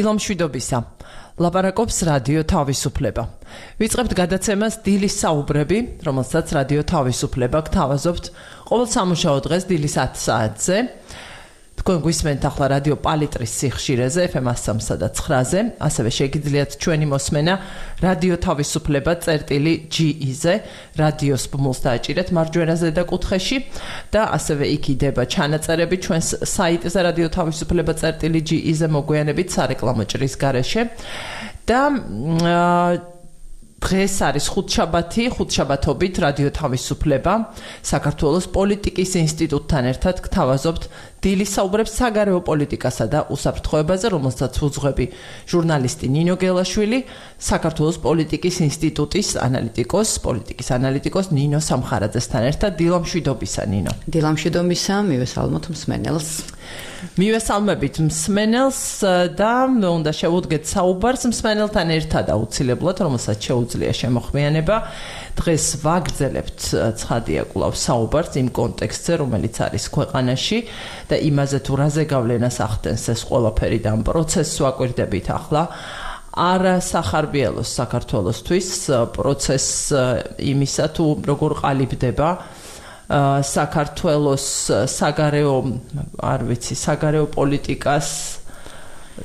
დილამშვიდობისა. ლაპარაკობს რადიო თავისუფლება. ვიწყებთ გადაცემას დილის საუბრები, რომელსაც რადიო თავისუფლება გთავაზობთ ყოველ სამუშაო დღეს დილის 10 საათზე. თქვენ გვისმენთ ახლა რადიო პალიტრის სიხშირეზე FM 103.9-ზე, ასევე შეგიძლიათ ჩვენი მოსმენა რადიო თავისუფლება წერტილი.ge-ზე, რადიოს ბმულს დააჭირეთ მარჯვენაზე და კუთხეში და ასევე იქ იდება ჩანაწერები ჩვენს საიტზე რადიო თავისუფლება წერტილი.ge-ზე მოგვიანებით სარეკლამო ჭრის გარეშე და დღეს არის ხუთშაბათობით რადიო თავისუფლება საქართველოს პოლიტიკის ინსტიტუტთან ერთად გთავაზობთ დილის საუბრებს საგარეო პოლიტიკასა და უსაფრთხოებაზე, რომელსაც უძღვები ჟურნალისტი ნინო გელაშვილი, საქართველოს პოლიტიკის ინსტიტუტის პოლიტიკის ანალიტიკოს ნინო სამხარაძესთან ერთად. დილამშვიდობისა, ნინო. დილამშვიდობისა, მივესალმოთ მსმენელს. მივესალმებით მსმენელს და უნდა შევუდგეთ საუბარს მსმენელთან ერთად აუცილებლად, რომელსაც შეუძლია შემოხმიანება. დღეს ვაგრძელებთ ცხადია კვლავ საუბარს იმ კონტექსტზე, რომელიც არის ქვეყანაში და იმაზე თუ რაზე გავლენას ახდენს ეს ყველაფერი და ამ პროცესს ვაკვირდებით ახლა. არა სახარბიელოს საქართველოსთვის პროცესს იმისა თუ როგორ ყალიბდება საქართველოს საგარეო პოლიტიკას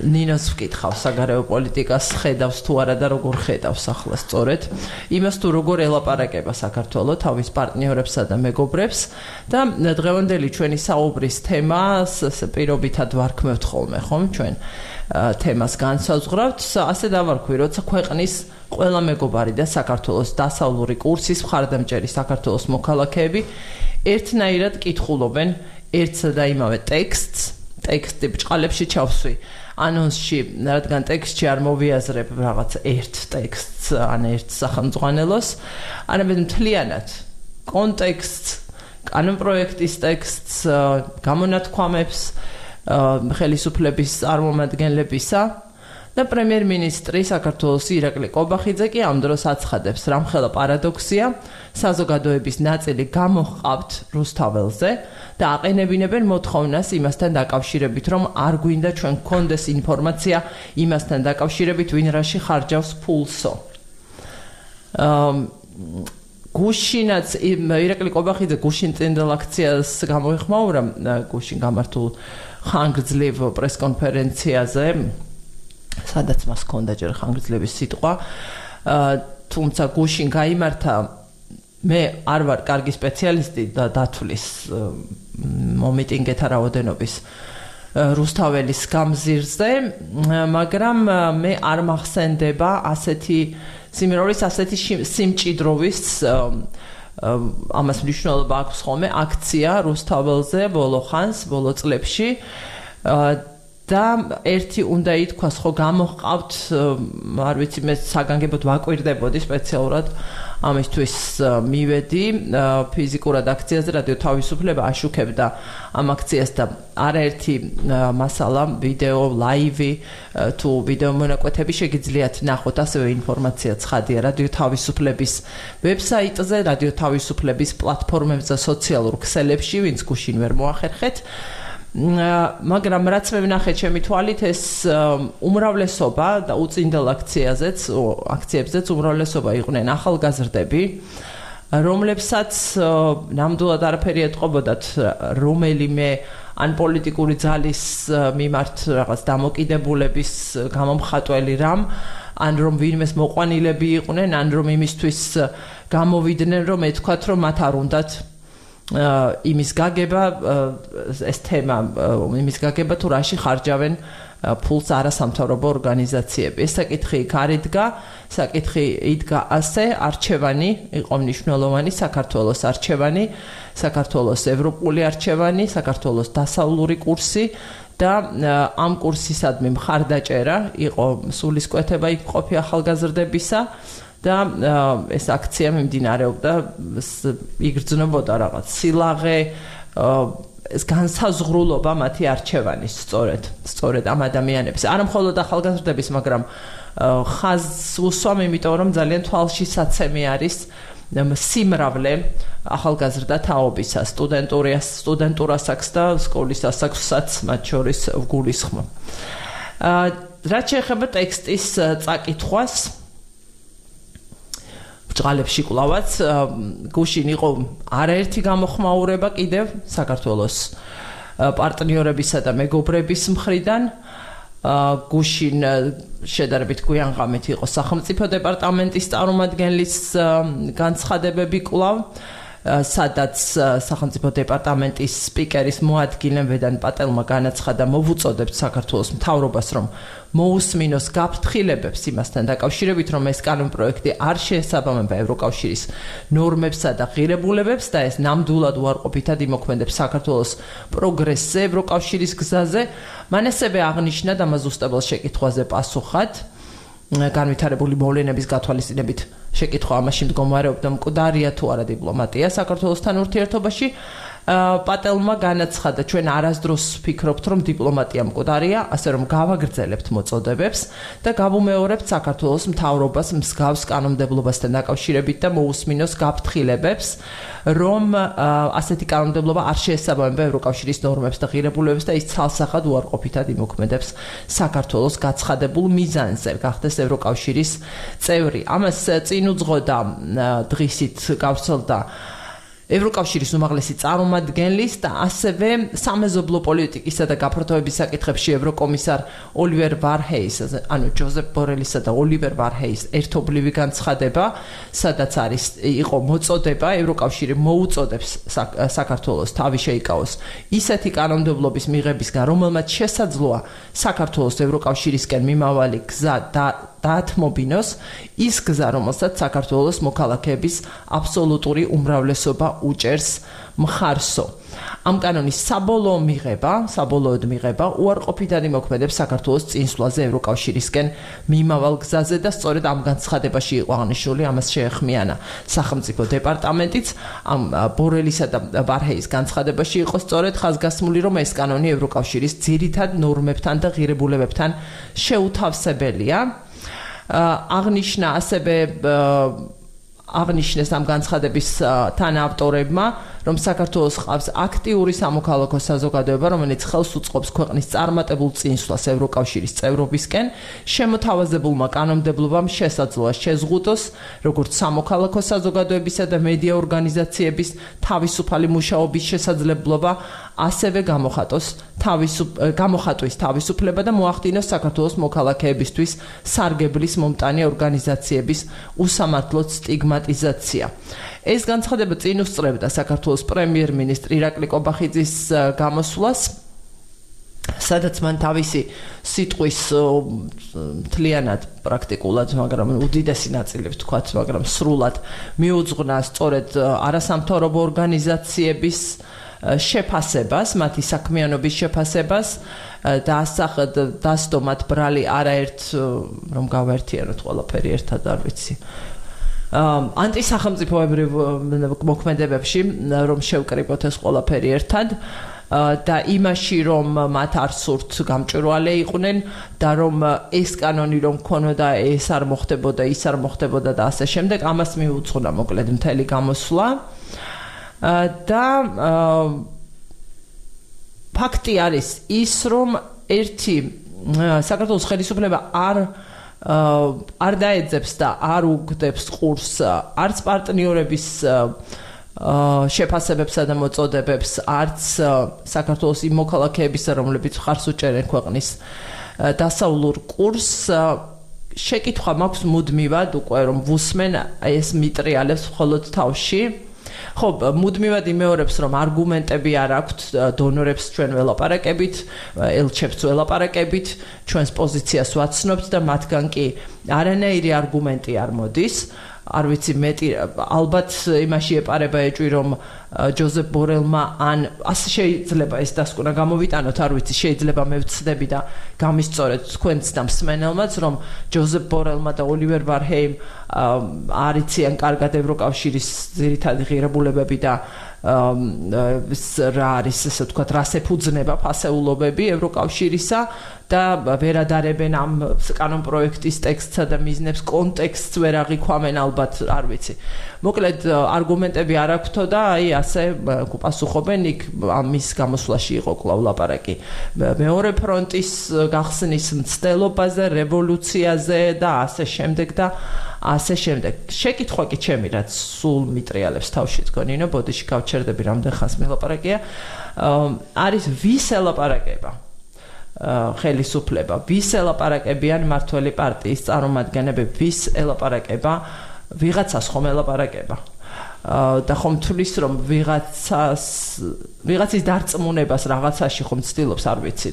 ნინოს ვკითხავ საგარეო პოლიტიკას ხედავს თუ არა და როგორ ხედავს ახლა სწორედ იმას თუ როგორ ელაპარაკება საქართველო თავის პარტნიორებსა და მეგობრებს და დღევანდელი ჩვენი საუბრის თემას პირობითად ვარქმევთ ხოლმე ხომ ჩვენ თემას განსაზღვრავთ ასე დავარქვი როცა ქვეყნის ყველა მეგობარი და საქართველოს დასავლური კურსის მხარდამჭერი საქართველოს მოქალაქეები ერთნაირად კითხულობენ ერთსა და იმავე ტექსტი ბჭყალებში ჩავსვი ანონსში, რადგან ტექსტში არ მოვიაზრებ რაღაც ერთ ტექსტს, ან ერთ სახელმძღვანელოს, არამედ მთლიანად კონტექსტს, კანონპროექტის ტექსტს, გამონათქვამებს, ხელისუფლების წარმომადგენლებისა და პრემიერ-მინისტრი საქართველოს ირაკლი კობახიძე კი ამ დროს აცხადებს, რამხელა პარადოქსია, საზოგადოების ნაწილი გამოჰყავთ რუსთაველზე და აყენებინებენ მოთხოვნას იმასთან დაკავშირებით, რომ არ გვინდა ჩვენ გქონდეს ინფორმაცია იმასთან დაკავშირებით, ვინ რაში ხარჯავს ფულსო. გუშინაც ირაკლი კობახიძე გუშინ წინდელ აქციას გამოიხმაურა გუშინ გამართულ ხანგრძლივ პრესკონფერენციაზე, სადაც მას ჰქონდა ჯერ ხანგრძლივი სიტყვა, თუმცა გუშინ გაიმართა მე არ ვარ კარგი სპეციალისტი და დათვლის მომიტინგეთა რაოდენობის რუსთაველის გამზირზე, მაგრამ მე არ მახსენდება ასეთი სიმრავლეს, ასეთი სიმჭიდროვის ამას მნიშვნელობა აქვს ხოლმე აქცია რუსთაველზე ბოლო წლებში და ერთი უნდა ითქვას, ხო გამოჰყავთ, არ ვიცი, მე საგანგებოდ ვაკვირდებოდი სპეციალურად ამისთვის მივედი ფიზიკურად აქციაზე რადიო თავისუფლება აშუქებდა ამ აქციას და არაერთი მასალა, ვიდეო, ლაივი თუ ვიდეო მონაკვეთები შეგიძლიათ ნახოთ, ასევე ინფორმაცია ცხადია რადიო თავისუფლების ვებსაიტზე, რადიო თავისუფლების პლატფორმებზე, სოციალურ ქსელებში, ვინც გუშინ ვერ მოახერხეთ. მაგრამ რაც მე ვნახე ჩემი თვალით ეს უმრავლესობა და უწინდელ აქციებზეც უმრავლესობა იყვნენ ახალგაზრდები, რომლებსაც ნამდვილად არაფერი ეტყობოდათ რომელიმე ან პოლიტიკური ძალის მიმართ რაღაც დამოკიდებულების გამომხატველი რამ, ან რომ ვინმეს მოყვანილები იყვნენ, ან რომ იმისთვის გამოვიდნენ, რომ ეთქვათ, რომ მათ არ უნდათ იმის გაგება ეს თემა იმის გაგება თუ რაში ხარჯავენ ფულს არასამთავრობო ორგანიზაციები. ეს საკითხი იქ არ იდგა, საკითხი იდგა ასე, არჩევანი იყო მნიშვნელოვანი, საქართველოს არჩევანი, საქართველოს ევროპული არჩევანი, საქართველოს დასავლური კურსი და ამ კურსისადმი მხარდაჭერა იყო სულისკვეთება იქ ყოფი ახალგაზრდებისა და ეს აქცია მიმდინარეობდა, იგრძნობოდა რაღაც სილაღე, ეს განსაზღვრულობა მათი არჩევანის სწორედ ამ ადამიანების, არა მხოლოდ ახალგაზრდების, მაგრამ ხაზს უსვამ, იმიტომ რომ ძალიან თვალშისაცემი არის სიმრავლე ახალგაზრდა თაობისა, სტუდენტურასაც და სკოლის ასაკსაც მათ შორის ვგულისხმობ. რაც შეეხება ტექსტის წაკითხვას ბრჭყალებში კლავაც გუშინ იყო არაერთი გამოხმაურება კიდევ საქართველოს პარტნიორებისა და მეგობრების მხრიდან გუშინ შედარებით გვიანღამით იყო სახელმწიფო დეპარტამენტის წარმომადგენლის განცხადებები კვლავ სადაც სახელმწიფო დეპარტამენტის სპიკერის მოადგილემ ვედან პატელმა განაცხადა მოვუწოდებთ საქართველოს მთავრობას რომ მოусმინოს გაფრთხილებებს იმასთან დაკავშირებით რომ ეს კანონპროექტი არ შეესაბამება ევროკავშირის ნორმებსა და ღირებულებებს და ეს ნამდვილად უარყოფითად იმოქმედებს საქართველოს პროგრესზე ევროკავშირის გზაზე მან ასევე აღნიშნა და მაზუსტებელ შეკითხვაზე პასუხად განვითარებული მოვლენების გათვალისწინებით შეკითხვა ამაში მდგომარეობდა მკვდარია თუ არა დიპლომატია საქართველოსთან ურთიერთობაში პატელმა განაცხადა ჩვენ არასდროს ვფიქრობთ რომ დიპლომატია მკვდარია ასე რომ გავაგრძელებთ მოწოდებებს და გავუმეორებთ საქართველოს მთავრობას მსგავს კანონმდებლობასთან დაკავშირებით და მოусმინოს გაფრთხილებებს რომ ასეთი კანონმდებლობა არ შეესაბამება ევროკავშირის ნორმებს და ღირებულებებს და ის ცალსახად უარყოფითად იმოქმედებს საქართველოს გაცხადებულ მიზანზე გახდეს ევროკავშირის წევრი ამას წინ უძღოდა დღისით გავრცელდა ევროკავშირის უმაღლესი წარმომადგენლის და ასევე სამეზობლო პოლიტიკისა და გაფართოების საკითხებში ევროკომისარ ოლივერ ვარჰეის, ანუ ჯოზეფ ბორელისა და ოლივერ ვარჰეის ერთობლივი განცხადება, სადაც იყო მოწოდება ევროკავშირი მოუწოდებს საქართველოს თავი შეიკავოს ისეთი კანონმდებლობის მიღებისგან, რომელმაც შესაძლოა საქართველოს ევროკავშირისკენ მიმავალი გზა დაათმობინოს ის გზა, რომელსაც საქართველოს მოქალაქეების აბსოლუტური უმრავლესობა უჭერს მხარსო. ამ კანონის საბოლოოდ მიღება უარყოფითად იმოქმედებს საქართველოს წინსვლაზე ევროკავშირისკენ მიმავალ გზაზე და სწორედ ამ განცხადებაში იყო აღნიშნული ამას შეეხმიანა სახელმწიფო დეპარტამენტიც ამ ბორელისა და ვარჰეის განცხადებაში იყო სწორედ ხაზგასმული რომ ეს კანონი ევროკავშირის ძირითად ნორმებთან და ღირებულებებთან შეუთავსებელია აღნიშნა ასევე აღნიშნეს ამ განცხადების თანაავტორებმა რომ საქართველოს ყავს აქტიური სამოქალაქო საზოგადოება რომელიც ხელს უწყობს ქვეყნის წარმატებულ წინსვლას ევროკავშირის წევრობისკენ შემოთავაზებულმა კანონმდებლობამ შესაძლოა შეზღუდოს როგორც სამოქალაქო საზოგადოებისა და მედია ორგანიზაციების თავისუფალი მუშაობის შესაძლებლობა ასევე გამოხატვის თავისუფლება და მოახდინოს საქართველოს მოქალაქეებისთვის სარგებლის მომტანი ორგანიზაციების უსამართლოდ სტიგმატიზაცია. ეს განცხადება წინ უსწრებდა საქართველოს პრემიერ-მინისტრ ირაკლი კობახიძის გამოსვლას, სადაც მან თავისი სიტყვის მთლიანად პრაქტიკულად, მაგრამ უდიდესი ნაწილი ვთქვათ, მაგრამ სრულად მიუძღვნა სწორედ არასამთავრობო ორგანიზაციების შეფასებას, მათი საქმიანობის შეფასებას და დასდო მათ ბრალი არაერთ რომ გავაერთიანოთ ყველაფერი ერთად არ ვიცი. ანტისახელმწიფოებრივ მოქმედებებში რომ შევკრიბოთ ეს ყველაფერი ერთად და იმაში რომ მათ არ სურთ გამჭვირვალე იყვნენ და რომ ეს კანონი რომ ქონოდა ეს არ მოხდებოდა ის არ მოხდებოდა და ასე შემდეგ ამას მიუძღვნა მოკლედ მთელი გამოსვლა და ფაქტი არის ის რომ ერთი საქართველოს ხელისუფლება არ დაეძებს და არ უგდებს ყურს არც პარტნიორების შეფასებებსა და მოწოდებებს არც საქართველოს იმ მოქალაქეებისა რომლებიც მხარს უჭერენ ქვეყნის დასავლურ კურსს შეკითხვა მაქვს მუდმივად უკვე რომ ვუსმენ ეს მიტრიალებს მხოლოდ თავში ხო მუდმივად იმეორებს რომ არგუმენტები არ აქვთ დონორებს ჩვენ ველაპარაკებით ელჩებს ველაპარაკებით ჩვენს პოზიციას ვაცნობთ და მათგან კი არანაირი არგუმენტი არ მოდის არ ვიცი მეტი ალბათ იმაში ეპარება ეჭვი რომ ჯოზეფ ბორელმა ან ასე შეიძლება ეს დასკვნა გამოვიტანოთ არ ვიცი შეიძლება მე ვცდები და გამისწორეთ თქვენც და მსმენელმაც რომ ჯოზეფ ბორელმა და ოლივერ ვარჰეიმ არ იციან კარგად ევროკავშირის ძირითადი ღირებულებები და რა არის ესე ვთქვათ რას ეფუძნება ფასეულობები ევროკავშირისა და ვერადარებენ ამ კანონპროექტის ტექსტსა და მიზნებს, კონტექსტს ვერ აღიქვამენ ალბათ, არ ვიცი. მოკლედ არგუმენტები არ აქვთო და აი ასე პასუხობენ იქ ამის გამოსვლაში იყო კვლავ ლაპარაკი მეორე ფრონტის გახსნის მცდელობაზე, რევოლუციაზე და ასე შემდეგ და ასე შემდეგ. შეკითხვა კი ჩემი რაც სულ მიტრიალებს თავში თქონინო, ბოდიში გავჩერდები რამდენ ხანს მილაპარაკია. არის ვის ელაპარაკება? ხელისუფლება, ვის ელაპარაკებიან მმართველი პარტიის წარმომადგენლები, ვის ელაპარაკება? ვიღაცას ხომ ელაპარაკება. და ხომ თulis რომ ვიღაცის დარწმუნებას რაღაცაში ხომ ცდილობს, არ ვიცი.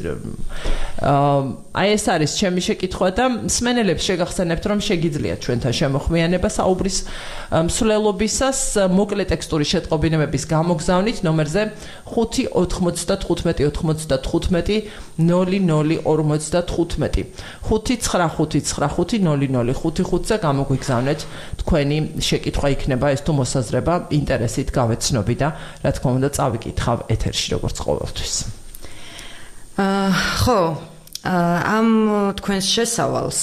აი ეს არის ჩემი შეკითხვა და მსმენელებს შეგახსენებთ რომ შეგიძლიათ ჩვენთან შემოხმიანება საუბრის მსვლელობისას მოკლე ტექსტური შეტყობინებების გამოგზავნით ნომერზე 595-95-95-0055 595-95-0055-ზე გამოგვიგზავნეთ თქვენი შეკითხვა იქნება ეს თუ მოსაზრება ინტერესით გავეცნობი და რა თქმა უნდა წავიკითხავ ეთერში როგორც ყოველთვის. ხო, ამ თქვენს შესავალს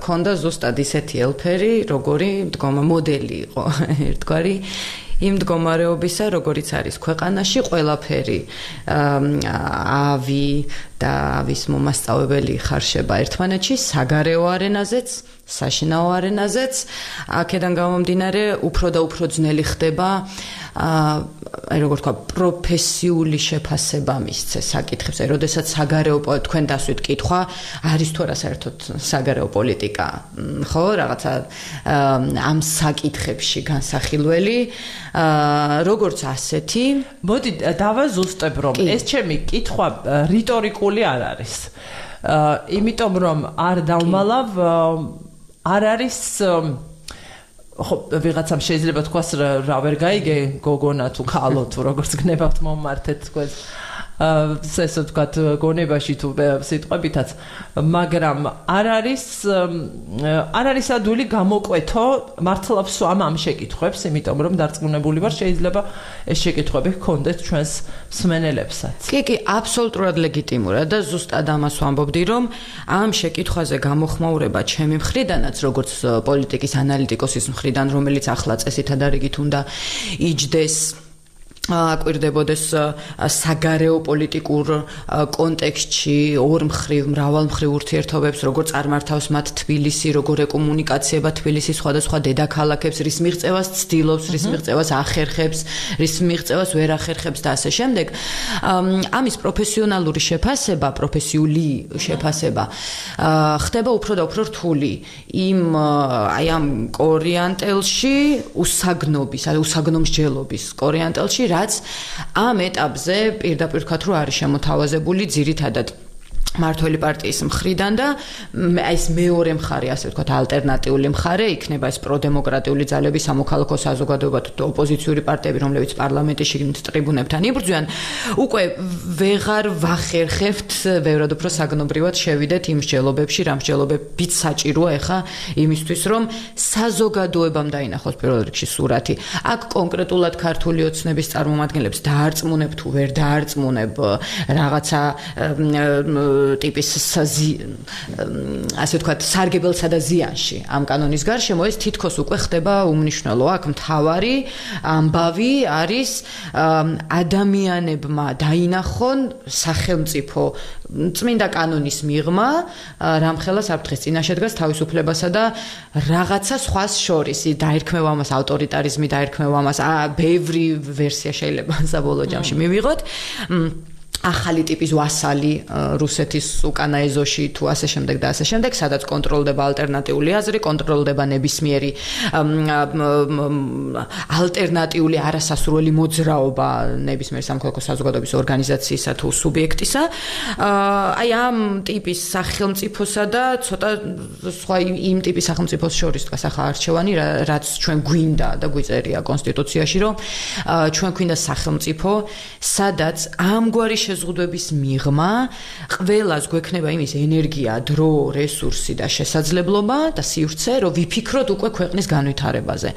ქონდა ზუსტად ისეთი ელფერი, როგორი მდგომა მოდელი იყო ერთგვარი იმ მდგომარეობისა, როგორიც არის ქვეყანაში, ყველაფერი ავი და ავის მომასწავლებელი ხარშება ერთმანეთში, საგარეო არენაზეც, საშინაო არენაზეც, აქედან გამომდინარე უფრო და უფრო ძნელი ხდება როგორ თქვა პროფესიული შეფასება მისცე საკითხებს, როდესაც საგარეო თქვენ დასვით კითხვა არის თუ არა საერთოდ საგარეო პოლიტიკა, ხო, რაღაცა ამ საკითხებში განსახილველი, როგორც ასეთი. მოდი დავაზუსტებ რომ ეს ჩემი კითხვა რიტორიკული არ არის. იმიტომ რომ არ დავმალავ არ არის ხო ვიღაცამ შეიძლება თქვას რა ვერ გაიგე გოგონა თუ ქალო თუ როგორც გნებავთ მომმართეთ თქვენს ესე ვთქვათ გონებაში თუ სიტყვებითაც მაგრამ არ არის ადვილი გამოკვეთო მართლა ვსვამ ამ შეკითხვებს იმიტომ რომ დარწმუნებული ვარ შეიძლება ეს შეკითხვები ჰქონდეთ ჩვენს მსმენელებსაც კი აბსოლუტურად ლეგიტიმურია და ზუსტად ამას ვამბობდი რომ ამ შეკითხვაზე გამოხმაურება ჩემი მხრიდანაც როგორც პოლიტიკის ანალიტიკოსის მხრიდან რომელიც ახლა წესითა და რიგით უნდა იჯდეს აკვირდებოდეს საგარეო პოლიტიკურ კონტექსტში ორმხრივ მრავალმხრივ ურთიერთობებს როგორ წარმართავს მათ თბილისი როგორ ეკომუნიკაციება თბილისის სხვადასხვა დედაქალაქებს რის მიღწევას ცდილობს რის მიღწევას ახერხებს რის მიღწევას ვერ ახერხებს და ასე შემდეგ ამის პროფესიონალური შეფასება პროფესიული შეფასება ხდება უფრო და უფრო რთული აი ამ კორიანტელში უსაგნომსჯელობის კორიანტელში რაც ამ ეტაპზე პირდაპირ ვთქვათ რომ არის შემოთავაზებული ძირითადად მმართველი პარტიის მხრიდან და ეს მეორე მხარე ასე ვთქვათ ალტერნატიული მხარე იქნება ეს პროდემოკრატიული ძალები სამოქალაქო საზოგადოება თუ ოპოზიციური პარტიები რომლებიც პარლამენტის შიგნით ტრიბუნებთან იბრძვიან უკვე ვეღარ ვახერხებთ ბევრად უფრო საგნობრივად შევიდეთ იმ მსჯელობებში რა მსჯელობებიც საჭიროა ეხა იმისთვის რომ საზოგადოებამ დაინახოს პირველ რიგში სურათი აქ კონკრეტულად ქართული ოცნების წარმომადგენლებს დაარწმუნებ თუ ვერ დაარწმუნებ რაღაცა ტიპის ასე ვთქვათ სარგებელსა და ზიანში ამ კანონის გარშემო ეს თითქოს უკვე ხდება უმნიშვნელო აქ მთავარი ამბავი არის ადამიანებმა დაინახონ სახელმწიფო წმინდა კანონის მიღმა რამხელა საფრთხის წინაშე დგას თავისუფლებასა და რაღაცა სხვას შორის დაერქმევა ამას ავტორიტარიზმი დაერქმევა ამას ბევრი ვერსია შეიძლება საბოლოო ჯამში მივიღოთ ახალი ტიპის ვასალი რუსეთის უკანა ეზოში თუ ასე შემდეგ და ასე შემდეგ, სადაც კონტროლდება ალტერნატიული აზრი, კონტროლდება ნებისმიერი ალტერნატიული არასასურველი მოძრაობა ნებისმიერ სამოქალაქო საზოგადოების ორგანიზაციისა თუ სუბიექტისა. აი ამ ტიპის სახელმწიფოსა და ცოტა სხვა იმ ტიპის სახელმწიფოს შორის დგას ახლა არჩევანი, რაც ჩვენ გვინდა და გვიწერია კონსტიტუციაში, რომ ჩვენ გვინდა სახელმწიფო, სადაც ამგვარი შეზღუდვების მიღმა ყველას გვექნება იმის ენერგია, დრო, რესურსი და შესაძლებლობა და სივრცე, რომ ვიფიქროთ უკვე ქვეყნის განვითარებაზე.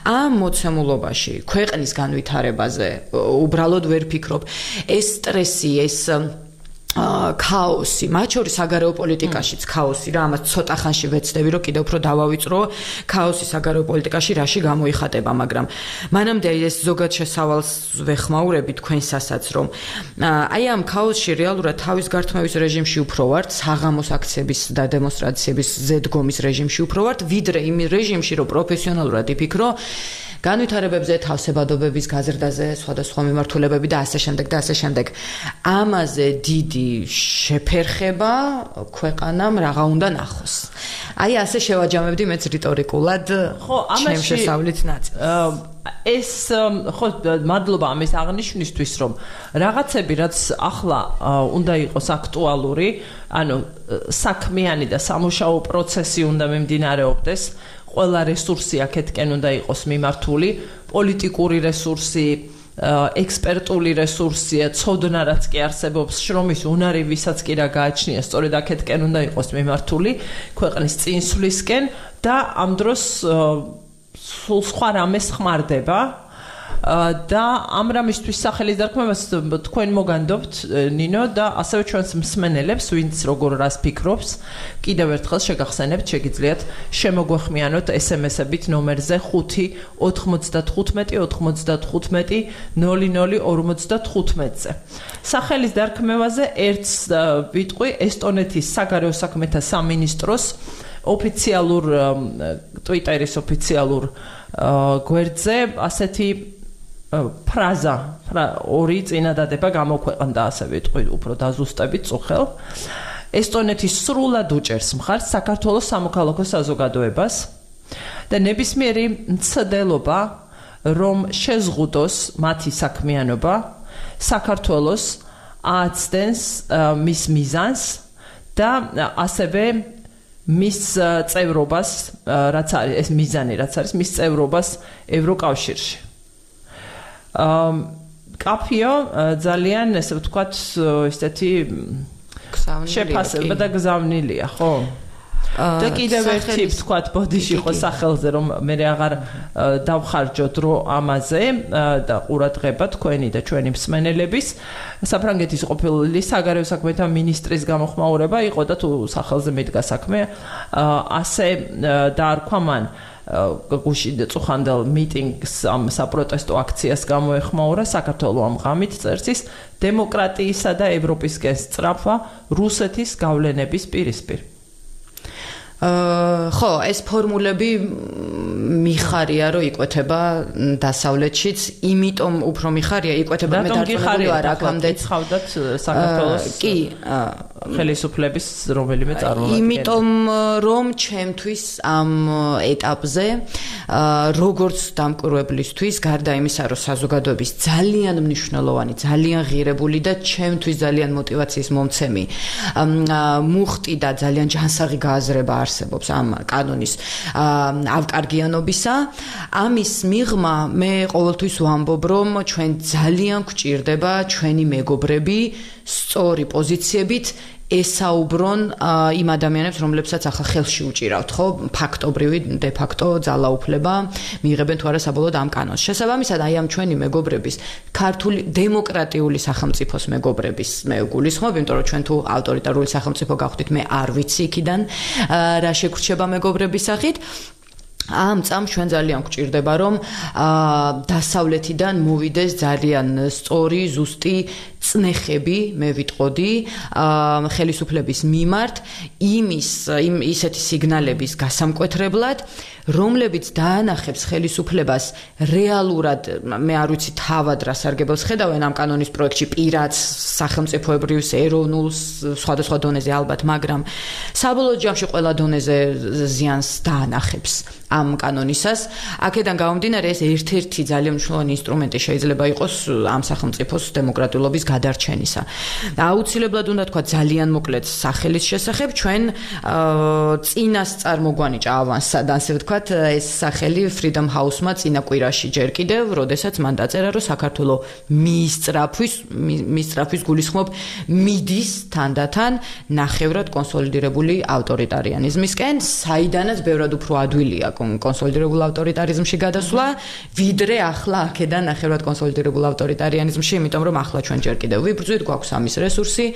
ამ მოცემულობაში ქვეყნის განვითარებაზე უბრალოდ ვერ ფიქრობ. ეს სტრესი, ეს ქაოსი, მათ შორის საგარეო პოლიტიკაშიც ქაოსი რა, ამას ცოტა ხანში ვეცდები, რომ კიდევ უფრო დავავიწრო ქაოსი საგარეო პოლიტიკაში რაში გამოიხატება, მაგრამ მანამდე ეს ზოგად შესავალს ვეხმაურები თქვენსასაც, რომ აი ამ ქაოსში რეალურად თავის გართმევის რეჟიმში უფრო ვართ, საღამოს აქციების და დემონსტრაციების ზედგომის რეჟიმში უფრო ვართ, ვიდრე იმ რეჟიმში, რომ პროფესიონალურად იფიქრო განვითარებებზე, თავსებადობების გაზრდაზე, სხვადასხვა მიმართულებები და ასე შემდეგ და ასე შემდეგ. ამაზე დიდი შეფერხება ქვეყანამ რაღაცა უნდა ნახოს. აი ასე შევაჯამებდი მეც რიტორიკულად ჩემ შესავლით ნაწილს. ეს ხო მადლობა ამის აღნიშვნისთვის, რომ რაღაცები რაც ახლა უნდა იყოს აქტუალური, ანუ საქმიანი და სამუშაო პროცესი უნდა მიმდინარეობდეს. ყველა რესურსი აქეთკენ უნდა იყოს მიმართული, პოლიტიკური რესურსი, ექსპერტული რესურსია, ცოდნა რაც კი არსებობს, შრომის უნარი ვისაც კი რა გააჩნია, სწორედ აქეთკენ უნდა იყოს მიმართული ქვეყნის წინსვლისკენ და ამ დროს სულ სხვა რამეს ხმარდება და ამ რამისთვის სახელის დარქმევას თქვენ მოგანდობთ ნინო და ასევე ჩვენს მსმენელებს, ვინც როგორ რას ფიქრობს, კიდევ ერთხელ შეგახსენებთ, შეგიძლიათ შემოგვეხმიანოთ SMS-ებით ნომერზე 5-95-95-00-55-00-55-00-55-ზე. სახელის დარქმევაზე ერთს ვიტყვი ესტონეთის საგარეო საქმეთა სამინისტროს ოფიციალურ Twitter-ის ოფიციალურ გვერდზე ასეთი ფრაზა, ორი წინადადება გამოქვეყნდა, ასე ვიტყვი, უფრო დაზუსტებით წუხელ. ესტონეთის სრულად უჭერს მხარს საქართველოს სამოქალაქო საზოგადოებას და ნებისმიერი მცდელობა, რომ შეზღუდოს მათი საქმიანობა, საქართველოს ააცდენს მის მიზანს და ასევე მის წევრობას, რაც არის ეს მიზანი, რაც არის მის წევრობას ევროკავშირში. კაფიო ძალიან ესე ვთქვათ, ესეთი შეფასება და გზავნილია, ხო? და კიდევ ერთი ვთქვათ ბოდიში ხო სახელზე, რომ მე აღარ დავხარჯო დრო ამაზე და ყურადღება თქვენი და ჩვენი მსმენელების. საფრანგეთის ყოფილი საგარეო საქმეთა მინისტრის გამოხმაურება იყო და თუ სახელზე მიდგა საქმე, ასე დაარქვა მან გუშინ წუხანდელ მიტინგს ამ საპროტესტო აქციას გამოეხმაურა საქართველო ამ ღამით წერს დემოკრატიისა და ევროპისკენ სწრაფვა რუსეთის გავლენების პირისპირ. ხო, ეს ფორმულები მიხარია, რომ იკვეთება დასავლეთშიც, იმიტომ უფრო მიხარია, იკვეთება მე დარწმუნებული ვარ, აქამდე ცხავდათ საქართველოს ხელისუფლების რომელიმე წარმომადგენელი. იმიტომ რომ ჩემთვის ამ ეტაპზე როგორც დამკვირვებლისთვის, გარდა იმისა, რომ საზოგადოების ძალიან მნიშვნელოვანი, ძალიან ღირებული და ჩემთვის ძალიან мотиваციის მომცემი მუხტი და ძალიან ჯანსაღი გააზრება არსებობს ამ კანონის ავკარგიანობისა. ამის მიღმა მე ყოველთვის ვამბობ, რომ ჩვენ ძალიან გვჭირდება ჩვენი მეგობრები სწორი პოზიციებით ესაუბრონ იმ ადამიანებს, რომლებსაც ახლა ხელში უჭირავთ, ხო, ფაქტობრივი დე ფაქტო ძალაუფლება მიიღებენ თუ არა საბოლოოდ ამ კანონს. შესაბამისად, აი ამ ჩვენი მეგობრების, ქართული დემოკრატიული სახელმწიფოს მეგობრების მე გულისხმობ, იმიტომ რომ ჩვენ თუ ავტორიტარული სახელმწიფო გავხდით, მე არ ვიცი იქიდან რა შეგრჩება მეგობრების სახით. ამ წამს ჩვენ ძალიან გვჭირდება, რომ დასავლეთიდან მოვიდეს ძალიან სწორი, ზუსტი წნეხები, მე ვიტყოდი, ხელისუფლების მიმართ იმ ისეთი სიგნალების გასამკვეთრებლად, რომლებიც დაანახებს ხელისუფლებას რეალურად, მე არ ვიცი თავად რა სარგებელს ხედავენ ამ კანონის პროექტში, პირადს, სახელმწიფოებრივს, ეროვნულს, სხვადასხვა დონეზე ალბათ, მაგრამ საბოლოო ჯამში ყველა დონეზე ზიანს დაანახებს ამ კანონისას. აქედან გამომდინარე, ეს ერთ-ერთი ძალიან მნიშვნელოვანი ინსტრუმენტი შეიძლება იყოს ამ სახელმწიფოს დემოკრატიულობის გადარჩენისა. აუცილებლად უნდა თქვა ძალიან მოკლედ სახელის შესახებ, ჩვენ წინასწარმოგვანიჭა ავანსად, ასე ვთქვათ, ეს სახელი Freedom House-მა წინა კვირაში ჯერ კიდევ, როდესაც მან დაწერა, რომ საქართველო მისწრაფვის გულისხმობ მიდის თანდათან ნახევრად კონსოლიდირებული ავტორიტარიანიზმისკენ, საიდანაც ბევრად უფრო ადვილია კონსოლიდირებულ ავტორიტარიზმში გადასვლა, ვიდრე ახლა აქედან ნახევრად კონსოლიდირებულ ავტორიტარიანიზმში, იმიტომ რომ ახლა ჩვენ ჯერ კიდევ ვიბრძვით, გვაქვს ამის რესურსი,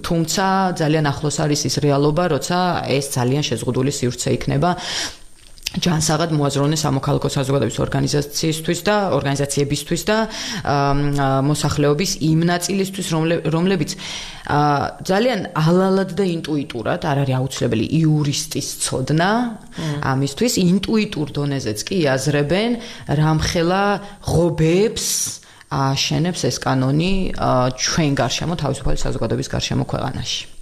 თუმცა ძალიან ახლოს არის ის რეალობა, როცა ეს ძალიან შეზღუდული სივრცე იქნება ჯანსაღად მოაზროვნე სამოქალაქო საზოგადოების ორგანიზაციისთვის და ორგანიზაციებისთვის და მოსახლეობის იმ ნაწილისთვის, რომლებიც ძალიან ალალად და ინტუიტურად არ არის აუცილებელი იურისტის ცოდნა ამისთვის, ინტუიტურ დონეზეც კი იაზრებენ, რამხელა ღობებს აშენებს ეს კანონი ჩვენ გარშემო, თავისუფალი საზოგადოების გარშემო ქვეყანაში.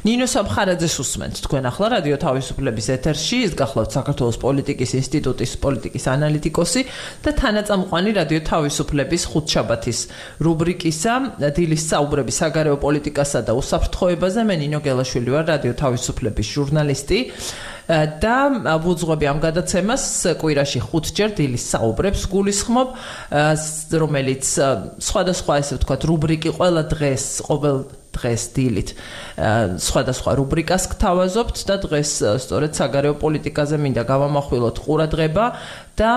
ნინო სამხარაძეს უსმენთ თქვენ ახლა რადიო თავისუფლების ეთერში, ის გახლავთ საქართველოს პოლიტიკის ინსტიტუტის პოლიტიკის ანალიტიკოსი და თანაწამყვანი რადიო თავისუფლების ხუთშაბათის რუბრიკისა დილის საუბრები საგარეო პოლიტიკასა და უსაფრთხოებაზე. მე ნინო გელაშვილი ვარ, რადიო თავისუფლების ჟურნალისტი და ვუძღვები ამ გადაცემას კვირაში 5 ჯერ დილის საუბრებს გულისხმობ, რომელიც სხვადასხვა ესე ვთქვათ რუბრიკი ყოველ დღეს დილით სხვადასხვა რუბრიკას გთავაზობთ და დღეს სწორედ საგარეო პოლიტიკაზე მინდა გავამახვილოთ ყურადღება და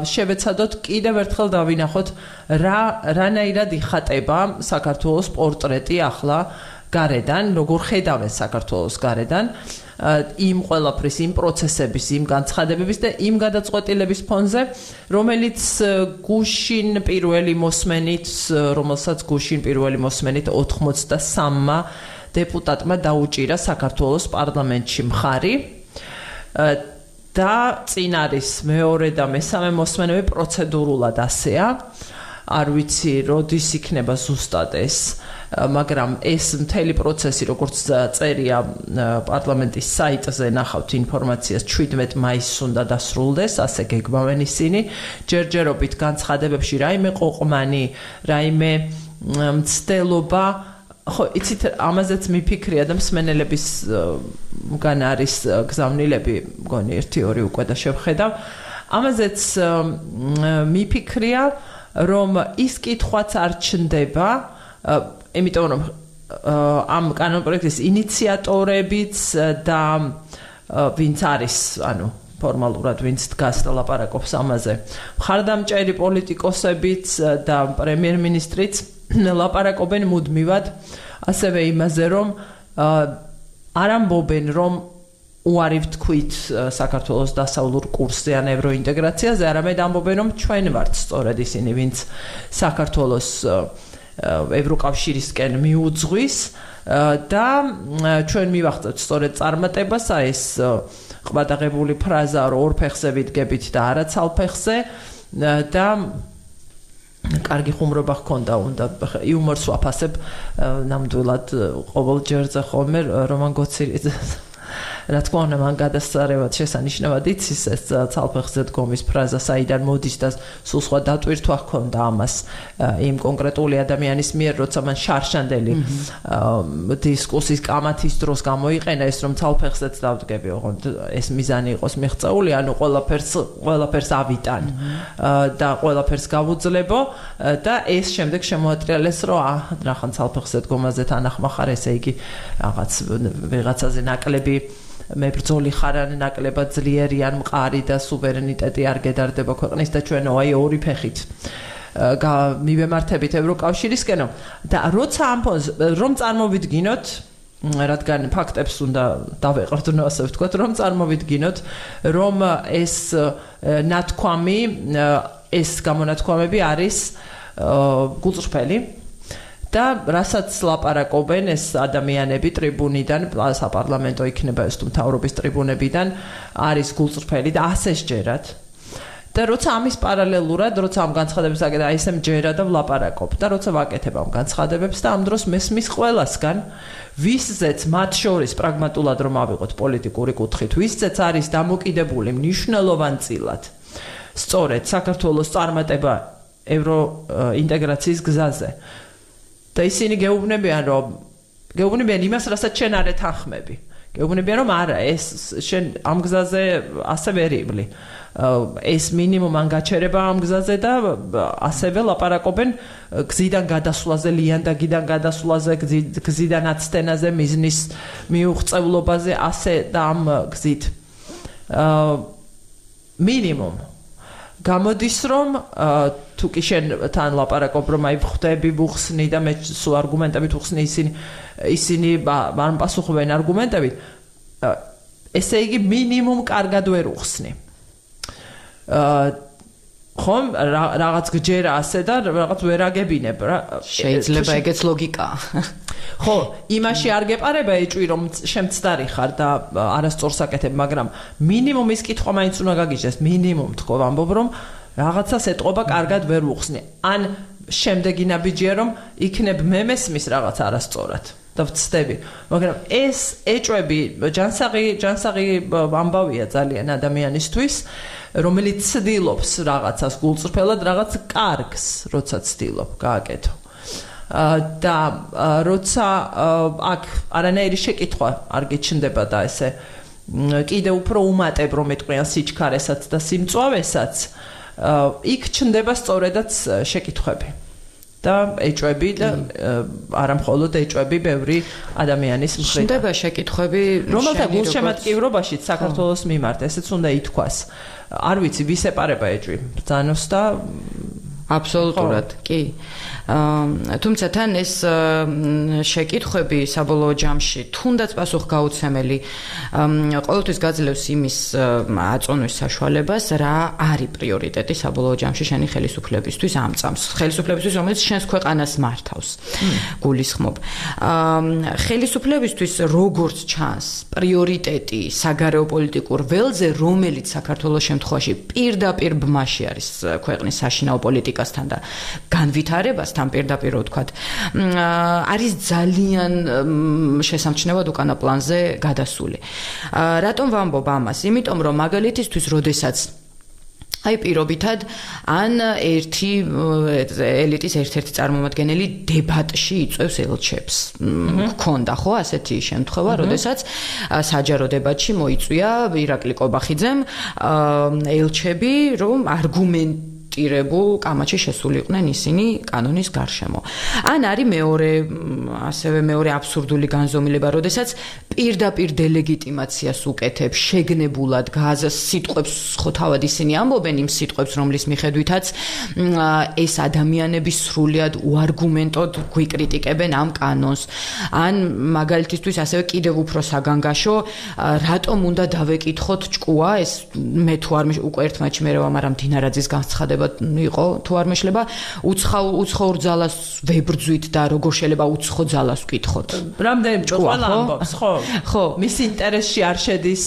შევეცადოთ კიდევ ერთხელ დავინახოთ რანაირად იხატება საქართველოს პორტრეტი ახლა გარედან, როგორ ხედავენ საქართველოს გარედან იმ ყველაფრის, იმ პროცესების, იმ განცხადებების და იმ გადაწყვეტილების ფონზე, რომელსაც გუშინ პირველი მოსმენით 83-მა დეპუტატმა დაუჭირა საქართველოს პარლამენტში მხარი და წინ არის მეორე და მესამე მოსმენები პროცედურულად ასეა. არ ვიცი, როდის იქნება ზუსტად ეს, მაგრამ ეს მთელი პროცესი, როგორც წერია პარლამენტის საიტზე, ნახავთ ინფორმაციას 17 მაისს უნდა დასრულდეს, ასე გეგმავენ ისინი. ჯერჯერობით განცხადებებში რაიმე ყოყმანი, რაიმე მცდელობა, ხო, იცით, ამაზეც მიფიქრია და მსმენელების მგან არის გზავნილები, მგონი 1-2 უკვე და შევხედავ. ამაზეც მიფიქრია, რომ ის კითხვაც არ ჩნდება, იმიტომ რომ ამ კანონპროექტის ინიციატორებიც და ვინც არის, ფორმალურად ვინც დგას და ლაპარაკობს ამაზე, მხარდამჭერი პოლიტიკოსებიც და პრემიერ-მინისტრიც ლაპარაკობენ მუდმივად ასევე იმაზე, რომ არ ამბობენ, რომ უარი ვთქვით საქართველოს დასავლურ კურსზე ან ევროინტეგრაციაზე, არამედ ამბობენ, რომ ჩვენ ვართ სწორედ ისინი, ვინც საქართველოს ევროკავშირისკენ მიუძღვის და ჩვენ მივახცევთ სწორედ წარმატებას, ეს ყბადაღებული ფრაზა, რომ ორ ფეხზე ვიდგებით და არა ცალფეხზე და კარგი ხუმრობა ჰქონდა, უნდა იუმორს ვაფასებ ნამდვილად ყოველ ჯერზე ხოლმე რომან გოცირიძე რა თქმა უნდა, მან გადასწარებად შესანიშნავად იცის ეს ცალფეხზე დგომის ფრაზა საიდან მოდის და სულ სხვა დატვირთვა ჰქონდა ამას იმ კონკრეტული ადამიანის მიერ, როცა მან შარშანდელი დისკუსიის კამათის დროს გამოიყენა ეს, რომ ცალფეხზეც დავდგები, ოღონდ ეს მიზანი იყოს მიღწეული, ანუ ყველაფერს ავიტან და ყველაფერს გავუძლებო და ეს შემდეგ შემოატრიალეს, რომ რახან ცალფეხზე დგომაზე თანახმახარ, ესე იგი რაღაც ვიღაცაზე ნაკლები მებრძოლი ხარ ან ნაკლებად ძლიერი ან მყარი და სუვერენიტეტი არ გედარდება ქვეყნის და ჩვენო აი ორი ფეხით მივემართებით ევროკავშირისკენო და როცა ამ ფონს რომ წარმოვიდგინოთ, რადგან ფაქტებს უნდა დავეყრდნო, ასე ვთქვათ, რომ წარმოვიდგინოთ, რომ ეს ნათქვამი, ეს გამონათქვამები არის გულწრფელი და რასაც ლაპარაკობენ ეს ადამიანები ტრიბუნიდან, საპარლამენტო იქნება ეს თუ მთავრობის ტრიბუნებიდან, არის გულწრფელი და ასე სჯერათ. და როცა ამის პარალელურად, როცა ამ განცხადებებს აკეთებ, აი ესე მჯერა და ვლაპარაკობ და როცა ვაკეთებ ამ განცხადებებს და ამ დროს მესმის ყველასგან, ვისზეც მათ შორის პრაგმატულად რომ ავიღოთ პოლიტიკური კუთხით, ვისზეც არის დამოკიდებული მნიშვნელოვანწილად სწორედ საქართველოს წარმატება ევროინტეგრაციის გზაზე. და ისინი გეუბნებიან იმას, რასაც შენ არ ეთანხმები. გეუბნებიან, რომ არა, ეს შენ ამ გზაზე ასე ვერ ივლი. ეს მინიმუმ ან გაჩერება ამ გზაზე და ასევე ლაპარაკობენ გზიდან გადასვლაზე, ლიანდაგიდან გადასვლაზე, გზიდან აცდენაზე, მიზნის მიუღწევლობაზე, ასე და ამ გზით. მინიმუმ. გამოდის რომ თუ კი შენ თან ლაპარაკობ რომ აი ხვდები ვუხსნი და მე სულ არგუმენტებით ვუხსნი ისინი არ პასუხობენ არგუმენტებით ესე იგი მინიმუმ კარგად ვერ უხსნი ხომ რაღაც გჯერა ასე და რაღაც ვერ აგებინებ რა შეიძლება ეგეც ლოგიკაა ხო იმაში არ გეპარება ეჭვი რომ შემცდარი ხარ და არასწორს აკეთებ მაგრამ მინიმუმ ის კითხვა მაინც უნდა გაგიჟდეს მინიმუმ თქო ვამბობ რომ რაღაცას ეტყობა კარგად ვერ უხსნი ან შემდეგი ნაბიჯია რომ იქნებ მე მესმის რაღაც არასწორად და ვცდები მაგრამ ეს ეჭვები ჯანსაღი ამბავია ძალიან ადამიანისთვის რომელიც ცდილობს რაღაცას გულწრფელად რაღაც კარგს როცა ცდილობ გააკეთო და როცა აქ არანაირი შეკითხვა არ გიჩნდება და ესე კიდე უფრო უმატებ რომ ეტყვიან სიჩქარესაც და სიმწვავესაც იქ ჩნდება სწორედაც შეკითხვები და ეჭვები და არა მხოლოდ ეჭვები ბევრი ადამიანის მხრიდან ჩნდება შეკითხვები რომელთა გულშემატკივრობაშიც საქართველოს მიმართ ესეც უნდა ითქვას არ ვიცი ვის ეპარება ეჭვი ბრძანოს და აბსოლუტურად კი თუმცა თან ეს შეკითხვები საბოლოო ჯამში თუნდაც პასუხგაუცემელი ყოველთვის გაძლევს იმის აწონვის საშუალებას რა არის პრიორიტეტი საბოლოო ჯამში შენი ხელისუფლებისთვის ამ წამს ხელისუფლებისთვის რომელიც შენს ქვეყანას მართავს გულისხმობ ხელისუფლებისთვის როგორც ჩანს პრიორიტეტი საგარეო პოლიტიკურ ველზე რომელიც საქართველოს შემთხვევაში პირდაპირ ბმაში არის ქვეყნის საშინაო პოლიტიკასთან და განვითარებასთან პირდაპირ ვთქვათ არის ძალიან შესამჩნევად უკანა პლანზე გადასული რატომ ვამბობ ამას იმიტომ რომ მაგალითისთვის როდესაც აი პირობითად ან ერთი ელიტის ერთ-ერთი წარმომადგენელი დებატში იწვევს ელჩებს გქონდა ხო ასეთი შემთხვევა როდესაც საჯარო დებატში მოიწვია ირაკლი კობახიძემ ელჩები რომ არგუმენტირებულ კამათში შესულიყვნენ ისინი კანონის გარშემო. ან არის მეორე აბსურდული განზომილება, როდესაც პირდაპირ დელეგიტიმაციას უკეთებს შეგნებულად გაზას სიტყვებს ხო თავად ისინი ამბობენ იმ სიტყვებს, რომლის მიხედვითაც ეს ადამიანები სრულად უარგუმენტოდ გვიკრიტიკებენ ამ კანონს. ან მაგალითისთვის ასევე კიდევ უფრო საგანგაშო, რატომ უნდა დავეკითხოთ ჭკუა, ეს მე თუ არ უკვე ერთმანეთში მე ვამარ მდინარაძის განცხადება იყო თუ არ მეშლება უცხოურ ძალას ვებრძვით და როგორ შეიძლება უცხო ძალას ვკითხოთ. რამდენი ყველა ამბობს, ხო? ხო, მის ინტერესში არ შედის,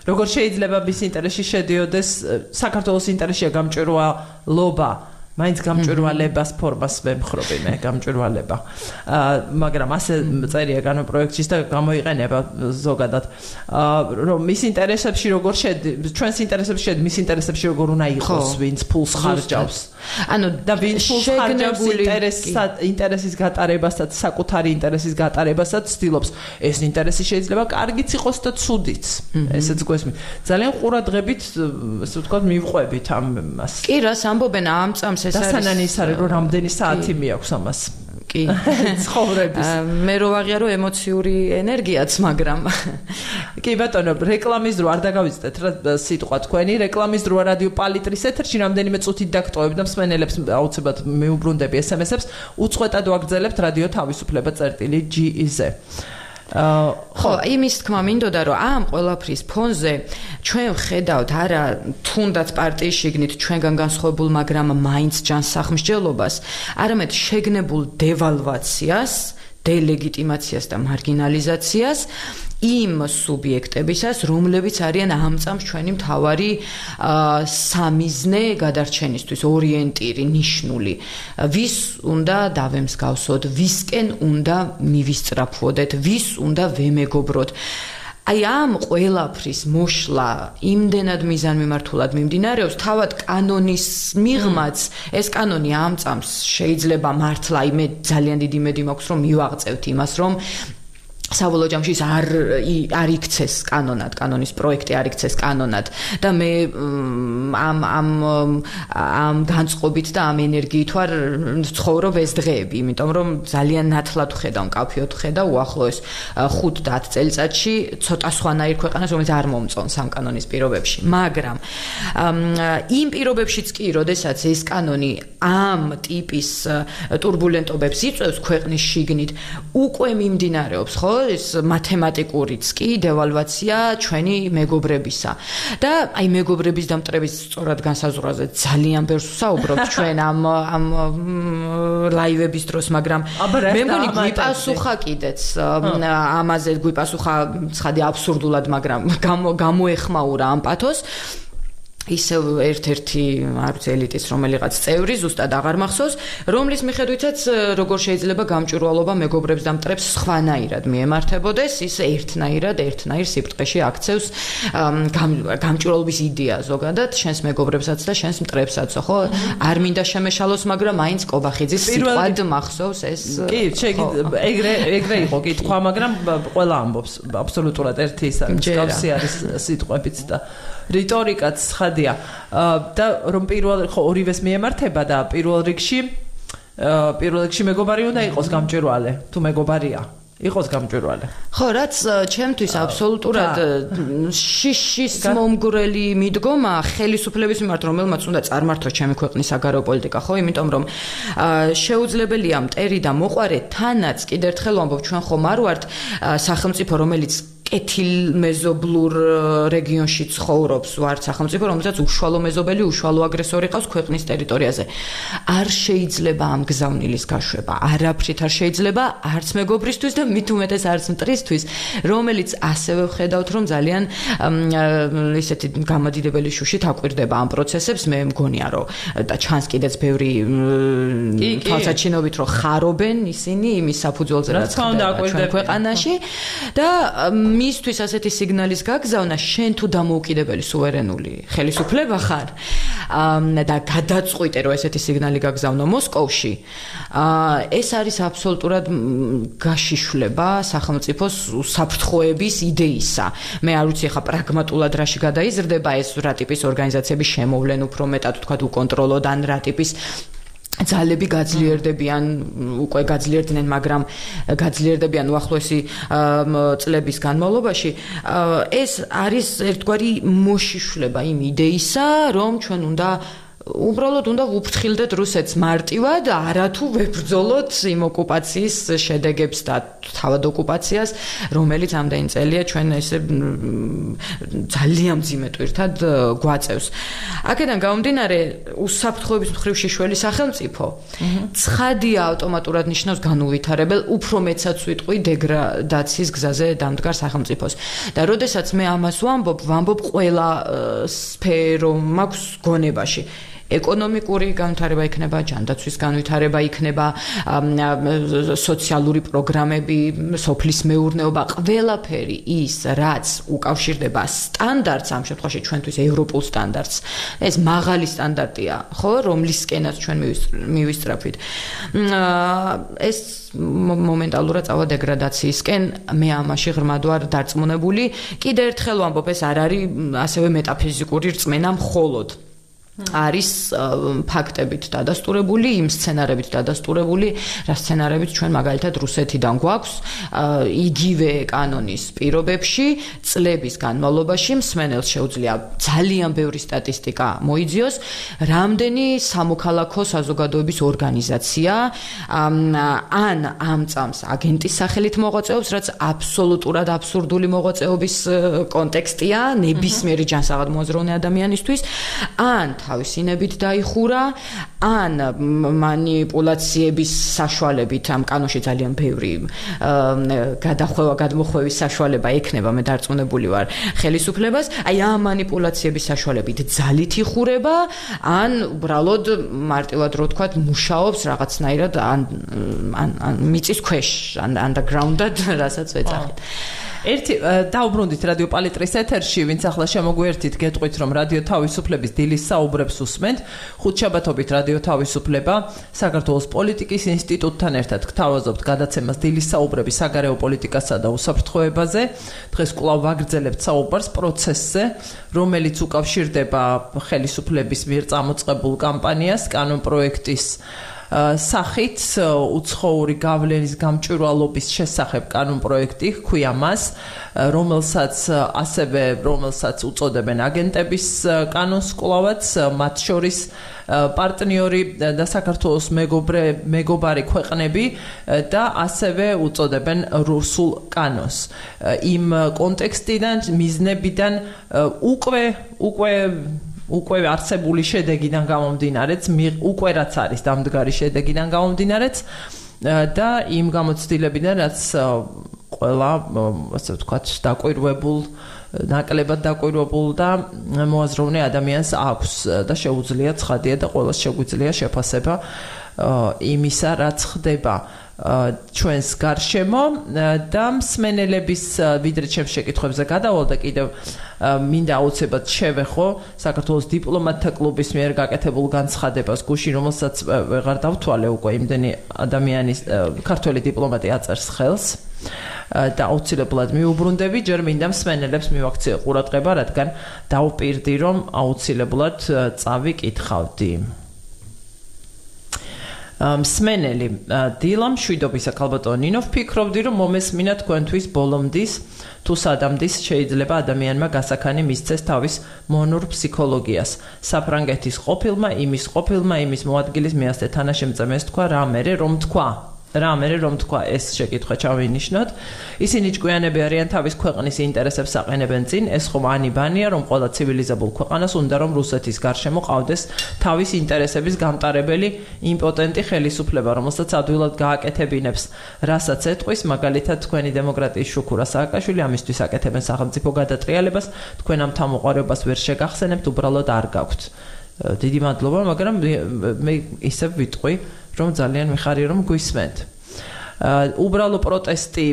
როგორ შეიძლება მის ინტერესში შედიოდეს, საქართველოს ინტერესშია გამჭვირვალობა, მაინც გამჭვირვალებას ფორმას ვემხრობი მე, გამჭვირვალება. მაგრამ ასე წერია კანონპროექტში და გამოიყენება ზოგადად, რომ მის ინტერესებში როგორ შედის, ჩვენს ინტერესებში შედის, მის ინტერესებში როგორ უნდა იყოს, ვინც ფულს ხარჯავს. ანუ და ვინც ფულს ხარჯავს ინტერესის გატარებასაც, საკუთარი ინტერესის გატარებასაც ცდილობს. ეს ინტერესი შეიძლება კარგიც იყოს და ცუდიც. ესეც გვესმის. ძალიან ყურადღებით, ასე ვთქვათ, მივყვებით ამას. კი, რას ამბობენ ამ წამს ეს არის დასანანი ის არის, რომ რამდენი საათი მიაქვს ამას. კი, ცხოვრების. მე რო ვაღიარო ემოციური ენერგიაც, მაგრამ კი ბატონო, რეკლამის დრო არ დაგავიწყდეთ რა სიტყვა თქვენი, რეკლამის დროა რადიო პალიტრის ეთერში, რამდენიმე წუთით დაგტოვებ და მსმენელებს აუცილებლად მეუბრუნდები SMS-ებს, უწყვეტად ვაგრძელებთ რადიო თავისუფლება წერტილი.GE-ზე. ხო, იმის თქმა მინდოდა, რომ ამ ყველაფრის ფონზე ჩვენ ვხედავთ არა თუნდაც პარტიის შიგნით ჩვენგან განსხვავებულ, მაგრამ მაინც ჯანსაღმსჯელობას, არამედ შეგნებულ დევალვაციას, დელეგიტიმაციას და მარგინალიზაციას იმ სუბიექტებისას, რომლებიც არიან ამ წამს ჩვენი მთავარი სამიზნე გადარჩენისთვის, ორიენტირი, ნიშნული. ვის უნდა დავემსგავსოთ, ვისკენ უნდა მივისწრაფვოდეთ, ვის უნდა ვემეგობროთ. აი ამ ყველაფრის მოშლა იმდენად მიზანმიმართულად მიმდინარეობს, თავად კანონის მიღმაც, ეს კანონი ამ წამს შეიძლება მართლა, მე ძალიან დიდი იმედი მაქვს, რომ მივაღწევთ იმას, რომ საბოლოო ჯამში არ იქცეს კანონად, კანონის პროექტი არ იქცეს კანონად და მე ამ განწყობით და ამ ენერგიით ვარ ცხოვრობ ეს დღეები, იმიტომ რომ ძალიან ნათლად ვხედავ, მკაფიოდ ვხედავ უახლოეს 5-10 წელიწადში ცოტა სხვანაირ ქვეყანას, რომელიც არ მომწონს ამ კანონის პირობებში, მაგრამ იმ პირობებშიც კი, როდესაც ეს კანონი ამ ტიპის турბულენტობებს იწვევს ქვეყნის შიგნით, უკვე მიმდინარეობს, ხო, ეს მათემატიკურიც კი დევალვაცია ჩვენი მეგობრებისა. და აი მეგობრების დამტრების სწორად განსაზღვრაზე ძალიან ბევრს ვსაუბრობთ ჩვენ ამ ლაივების დროს, მაგრამ მე მგონი გვიპასუხა კიდეც ამაზე გვიპასუხა ცხადი აბსურდულად, მაგრამ გამოეხმაურა ამ პათოს. ისევ ერთ-ერთი არ ვიცი ელიტის რომელიღაც წევრი ზუსტად აღარ მახსოვს, რომლის მიხედვითაც როგორ შეიძლება გამჭვირვალობა მეგობრებს დამტრებს სხვანაირად მიემართებოდეს, ის ერთნაირ სიბრტყეში აქცევს გამჭვირვალობის იდეა ზოგადად შენს მეგობრებსაც და შენს მტრებსაც, ხო? არ მინდა შემეშალოს, მაგრამ მაინც კობახიძის სიტყვად მახსოვს ეს. კი, ეგრე იყო კითხვა, მაგრამ ყველა ამბობს აბსოლუტურად ერთი ის არის, მსგავსი არის სიტყვებიც და რიტორიკაც ხადია და რომ ხო ორივეს მიემართება და პირველ რიგში მეგობარი უნდა იყოს გამჭვირვალე თუ მეგობარია იყოს გამჭვირვალე. ხო, რაც ჩემთვის აბსოლუტურად შიშის მომგვრელი მიდგომა ხელისუფლების მიმართ, რომელმაც უნდა წარმართოს ჩემი ქვეყნის საგარეო პოლიტიკა, ხო, იმიტომ რომ შეუძლებელია მტერი და მოყვარე თანაც კიდევ ერთხელ ვამბობ, ჩვენ ხომ არ ვართ სახელმწიფო, რომელიც კეთილმეზობლურ რეგიონში ცხოვრობს, ვართ სახელმწიფო, რომელსაც უშუალო მეზობელი, უშუალო აგრესორი ყავს ქვეყნის ტერიტორიაზე. არ შეიძლება ამ გზავნილის გაშვება, არაფრით არ შეიძლება, არც მეგობრისთვის და მით უმეტეს არც მტრისთვის, რომელიც ასევე ვხედავთ, რომ ძალიან ისეთი გამადიდებელი შუშით აკვირდება ამ პროცესებს, მე მგონია, რომ და ჩანს კიდეც ბევრი თვალსაჩინობით, რომ ხარობენ ისინი იმის საფუძველზე, რაც ხდება ჩვენ ქვეყანაში და მისთვის ასეთი სიგნალის გაგზავნა, შენ თუ დამოუკიდებელი სუვერენული ხელისუფლება ხარ და გადაწყვიტე, რომ ესეთი სიგნალი გაგზავნო მოსკოვში, ეს არის აბსოლუტურად გაშიშვლება სახელმწიფოს საფრთხოების იდეისა. მე არ ვიცი ხა პრაგმატულად რაში გადაიზრდება ეს რა ტიპის ორგანიზაციების შემოვლენ უფრო მეტად თქვა უკონტროლოდ ან რა ტიპის ძალები გაძლიერდებიან, უკვე გაძლიერდნენ, მაგრამ გაძლიერდებიან უახლოესი წლების განმავლობაში. ეს არის ერთგვარი მოშიშვლება იმ იდეისა, რომ ჩვენ უბრალოდ უნდა ვუფრთხილდეთ რუსეთს მარტივად, არათუ ვებრძოლოთ იმ ოკუპაციის შედეგებს და თავად ოკუპაციას, რომელიც ამდენი წელია ჩვენ ესე ძალიან მძიმე ტვირთად გვაწევს. აქედან გამომდინარე, უსაფრთხოების მხრივ შიშველი სახელმწიფო ცხადია ავტომატურად ნიშნავს განუვითარებელ, უფრო მეცაც ვიტყვი დეგრადაციის გზაზე დამდგარ სახელმწიფოს. და როდესაც მე ამას ვამბობ ყველა სფერო მაქვს გონებაში. ეკონომიკური განვითარება იქნება, ჯანდაცვის განვითარება იქნება, სოციალური პროგრამები, სოფლის მეურნეობა, ყველაფერი ის, რაც უკავშირდება სტანდარტს, ამ შემთხვევაში ჩვენთვის ევროპულ სტანდარტს. ეს მაღალი სტანდარტია, ხო, რომლისკენაც ჩვენ მივისწრაფვით. ეს მომენტალურად წავა დეგრადაციისკენ, მე ამაში ღრმად ვარ დარწმუნებული. კიდევ ერთხელ ვამბობ, ეს არ არის ასევე მეტაფიზიკური რწმენა მხოლოდ. არის ფაქტებით დადასტურებული, იმ სცენარებით დადასტურებული, რა სცენარებით ჩვენ მაგალითად რუსეთიდან გვაქვს, იგივე კანონის პირობებში, წლების განმავლობაში მსმენელს შეუძლია ძალიან ბევრი სტატისტიკა მოიძიოს, რამდენი სამოქალაქო საზოგადოების ორგანიზაცია ან ამ წამს აგენტის სახელით მოღვაწეობს, რაც აბსოლუტურად აბსურდული მოღვაწეობის კონტექსტია ნებისმიერი ჯანსაღად მოაზროვნე ადამიანისთვის, ან თავისინებით დაიხურა, ან მანიპულაციების საშუალებით ამ კანონში ძალიან ბევრი გადმოხვევის საშუალება ექნება, მე დარწმუნებული ვარ ხელისუფლებას, აი ამ მანიპულაციების საშუალებით ძალით იხურება, ან უბრალოდ მარტივად რო ვთქვათ, მუშაობს რაღაცნაირად ან მიწის ქვეშ, underground-ად, რასაც ვეძახით. ერთი დაუბრუნდით რადიო პალიტრის ეთერში, ვინც ახლა შემოგვიერთით, გეტყვით, რომ რადიო თავისუფლების დილის საუბრებს უსმენთ. ხუთშაბათობით რადიო თავისუფლება საქართველოს პოლიტიკის ინსტიტუტთან ერთად გთავაზობთ გადაცემას დილის საუბრები საგარეო პოლიტიკასა და უსაფრთხოებაზე. დღეს კვლავ ვაგრძელებთ საუბარს პროცესზე, რომელიც უკავშირდება ხელისუფლების მიერ წამოწყებულ კამპანიას კანონპროექტის სახით უცხოური გავლენის გამჭვირვალობის შესახებ კანონპროექტი ჰქვია მას, რომელსაც უწოდებენ აგენტების კანონს კვლავაც, მათ შორის პარტნიორი და საქართველოს მეგობარი ქვეყნები და ასევე უწოდებენ რუსულ კანონს. იმ კონტექსტიდან, მიზნებიდან უკვე არსებული შედეგიდან გამომდინარეც, უკვე რაც არის დამდგარი შედეგიდან გამომდინარეც და იმ გამოცდილებიდან, რაც ყველა, ასე ვთქვათ, ნაკლებად დაკვირვებულ და მოაზროვნე ადამიანს აქვს და შეუძლია ცხადია და ყველას შეგვიძლია შეფასება იმისა, რაც ხდება ჩვენს გარშემო და მსმენელების ვიდრე ჩემს შეკითხვებზე გადავალ და კიდევ მინდა აუცილებლად შევეხო საქართველოს დიპლომატთა კლუბის მიერ გაკეთებულ განცხადებას გუშინ, რომელსაც ვეღარ დავთვალე უკვე იმდენი ადამიანის ქართველი დიპლომატი აწერს ხელს და აუცილებლად მიუბრუნდები, ჯერ მინდა მსმენელებს მივაქციო ყურადღება, რადგან დავპირდი, რომ აუცილებლად წავიკითხავდი. მსმენელი დილა მშვიდობისა ქალბატონო ნინო, ვფიქრობდი, რომ მომესმინა თქვენთვის ბოლომდის თუ სადამდის შეიძლება ადამიანმა გასაქანი მისცეს თავის მონურ ფსიქოლოგიას. საფრანგეთის ყოფილმა იმის მოადგილის მეასე თანაშემწემეს თქვა რა მერე რომ თქვა ეს შეკითხვა ჩავინიშნოთ. ისინი ჭკვიანები არიან, თავის ქვეყნის ინტერესებს აყენებენ წინ, ეს ხომ ანიბანია, რომ ყველა ცივილიზებულ ქვეყანას უნდა რომ რუსეთის გარშემო ყავდეს თავის ინტერესების გამტარებელი იმპოტენტი ხელისუფლება, რომელსაც ადვილად გააკეთებინებს, რასაც ეტყვის, მაგალითად თქვენი დემოკრატიის შუქურა სააკაშვილი, ამისთვის აკეთებენ სახელმწიფო გადატრიალებას, თქვენ ამ თამოყარებას ვერ შეგახსენებთ, უბრალოდ არ გაქვთ. დიდი მადლობა, მაგრამ მე ისევ ვიტყვი, რომ ძალიან მიხარია, რომ გვისმენთ. უბრალო პროტესტი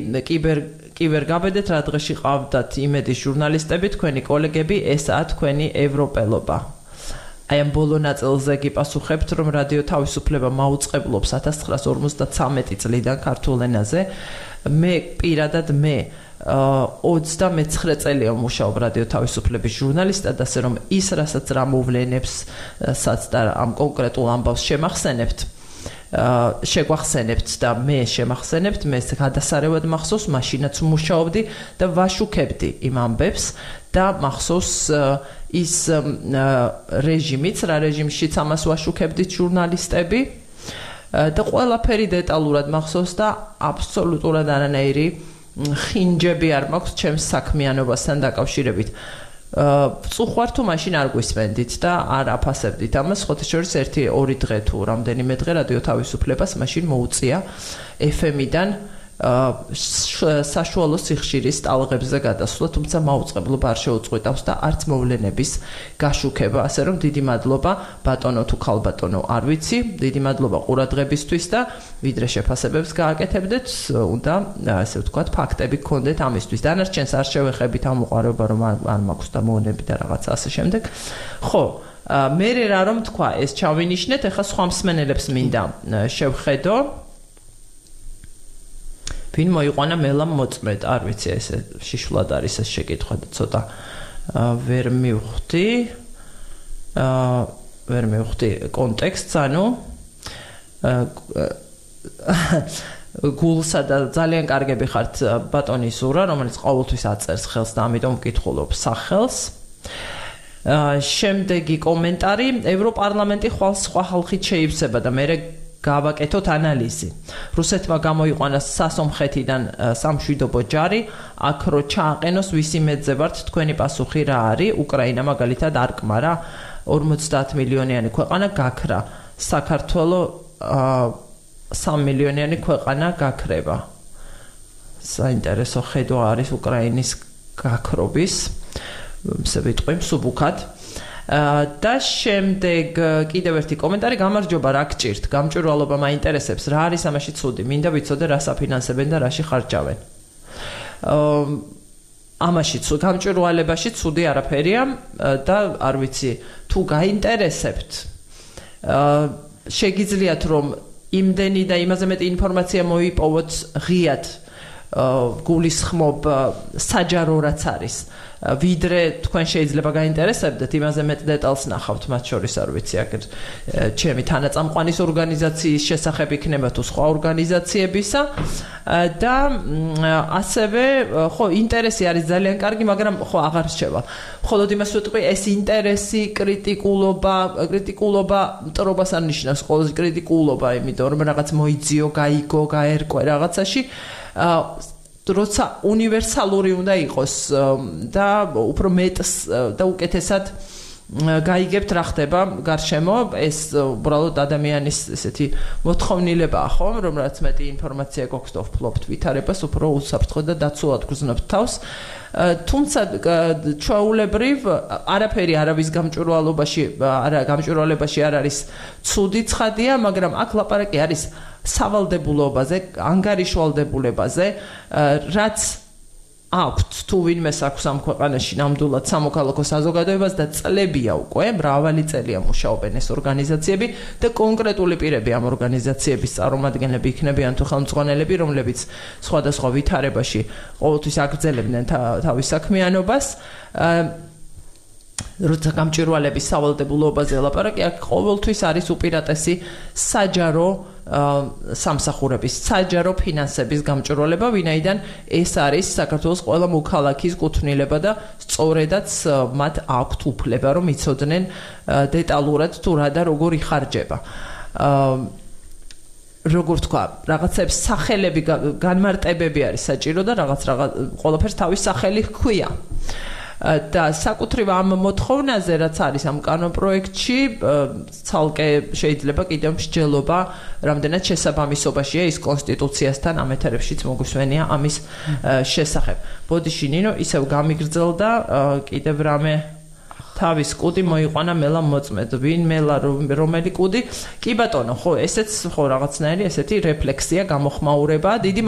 კიბერგაბედეთ, რა დღეში ყავდათ იმედის ჟურნალისტები, თქვენი კოლეგები, ესაა თქვენი ევროპელობა. აი ამ ბოლო ნაწილზე გიპასუხებთ, რომ რადიო თავისუფლება მაუწყებლობს 1953 წლიდან ქართულ ენაზე. მე პირადად 29 წელია ვმუშაობ რადიო თავისუფლების ჟურნალისტად, ასე რომ ის რასაც რა მოვლენებსაც და ამ კონკრეტულ ამბავს შეგვახსენებთ და მე შემახსენებთ, მე გადასარევად მახსოვს, მაშინაც ვმუშაობდი და ვაშუქებდი იმ ამბებს და მახსოვს ის რეჟიმიც, რა რეჟიმშიც ამას ვაშუქებდით ჟურნალისტები და ყველაფერი დეტალურად მახსოვს და აბსოლუტურად არანაირი ხინჯები არ მაქვს ჩემს საქმიანობასთან დაკავშირებით. წუხვარ თუ მაშინ არ გვისმენდით და არ აფასებდით ამას, ხოთა შორის 1-2 დღე თუ რამდენიმე დღე რადიო თავისუფლებას მაშინ მოუწია FM-დან საშუალო სიხშირის ტალღებზე გადასვლა, თუმცა მაუწყებლობა არ შეუწყვეტავს და არც მოვლენების გაშუქება, ასე რომ დიდი მადლობა ბატონო თუ ქალბატონო, არ ვიცი, დიდი მადლობა ყურადღებისთვის და ვიდრე შეფასებებს გააკეთებდეთ, უნდა ასე ვთქვათ, ფაქტები გქონდეთ ამისთვის. დანარჩენს არ შევეხებით ამ უყარება, რომ არ მაქვს და მოონები და რაღაცა ასე შემდეგ. ხო, მე რა რომ თქვა, ეს ჩავინიშნეთ, ეხლა სხვა მსმენელებს მინდა შევხედო. ვინ მოიყვანა მელამ მოწმედ, არ ვიცი, ესე შიშულად არის ეს შეკითხვა და ცოტა ვერ მივხვდი კონტექსტს, ანუ გულსა და ძალიან კარგები ხართ ბატონი ზურა, რომელიც ყოველთვის აწერს ხელს და ამიტომ ვკითხულობ სახელს. შემდეგი კომენტარი, ევროპარლამენტი ხვალ სხვა ხალხით შეივსება და მე გავაკეთოთ ანალიზი. რუსეთმა გამოიყვანა სასომხეთიდან სამშვიდობო ჯარი, აქ რო ჩააყენოს ვისი მეძე ვართ, თქვენი პასუხი რა არის? უკრაინა მაგალითად არ კმარა, 50 მილიონიანი ქვეყანა გაქრა. საქართველო 3 მილიონიანი ქვეყანა გაქრება. საინტერესო ხედვა არის უკრაინის გაქრობის. ვიტყვი მსუბუქად. და შემდეგ კიდევ ერთი კომენტარი, გამარჯობა, რა გჭირთ? გამჭვირვალობა მაინტერესებს, რა არის ამაში ცუდი? მინდა ვიცოდე, რას აფინანსებენ და რაში ხარჯავენ. ამაშიც გამჭვირვალებაში ცუდი არაფერია და არ ვიცი თუ გაინტერესებთ შეგიძლიათ რომ იმდენი და იმაზე მეტი ინფორმაცია მოიპოვოთ ღიად გულისხმობ საჯარო რაც არის ვიდრე თქვენ შეიძლება გაინტერესებდეთ იმაზე მეტ დეტალს ნახავთ მათ შორის არ ვიცი აგერ ჩემი თანაწამყვანის ორგანიზაციის შესახებ იქნება თუ სხვა ორგანიზაციებისა და ასევე ხო ინტერესი არის ძალიან კარგი მაგრამ ხო აღარ რჩება მხოლოდ იმას ვიტყვი ეს ინტერესი კრიტიკულობა მტრობას არ ნიშნავს ყოველთვის კრიტიკულობა იმიტომ რომ რაღაც მოიძიო გაიგო გაერკვე რაღაცაში როცა უნივერსალური უნდა იყოს და უფრო მეტს და უკეთესად გაიგებთ რა ხდება გარშემო ეს უბრალოდ ადამიანის ესეთი მოთხოვნილებაა ხო რომ რაც მეტი ინფორმაცია გვაქვს და ვფლობთ ვითარებას უფრო უსაფრთხო და დაცულად გრძნობთ თავს თუმცა ჩვეულებრივ არაფერი არავის გამჭვირვალებაში არ არის ცუდი ცხადია მაგრამ აქ ლაპარაკი არის სავალდებულობაზე ანგარიშვალდებულებაზე რაც აქვთ თუ ვინმეს აქვს ამ ქვეყანაში ნამდვილად სამოქალაქო საზოგადოებას და წლებია უკვე მრავალი წელია მუშაობენ ეს ორგანიზაციები და კონკრეტული პირები ამ ორგანიზაციების წარმომადგენლები იქნებიან თუ ხელმძღვანელები რომლებიც სხვადასხვა ვითარებაში ყოველთვის აგრძელებდნენ თავის საქმიანობას როცა გამჭვირვალების სავალდებულობაზე ლაპარაკი აქ ყოველთვის არის უპირატესი საჯარო სამსახურების საჯარო ფინანსების გამჭვირვალება ვინაიდან ეს არის საქართველოს ყველა მოქალაქის კუთვნილება და სწორედაც მათ აქვთ უფლება რომ იცოდნენ დეტალურად თუ რა და როგორ იხარჯება როგორ თქვა რაღაცებს სახელები განმარტებები არის საჭირო და რაღაც ყველაფერს თავის სახელი ჰქვია და საკუთრივ ამ მოთხოვნაზე რაც არის ამ კანონპროექტში ცალკე შეიძლება კიდევ მსჯელობა რამდენად შესაბამისობაშია ის კონსტიტუციასთან ამ ეთერებშიც მოგვისმენია ამის შესახებ. ბოდიში ნინო ისევ გამიგრძელდა კიდევ რამე თავის კუდი მოიყვანა მელა მოწმედ ვინ მელა რომელი კუდი კი ბატონო ხო ესეც ხო რაღაცნაირი ესეთი რეფლექსია გამოხმაურება დიდი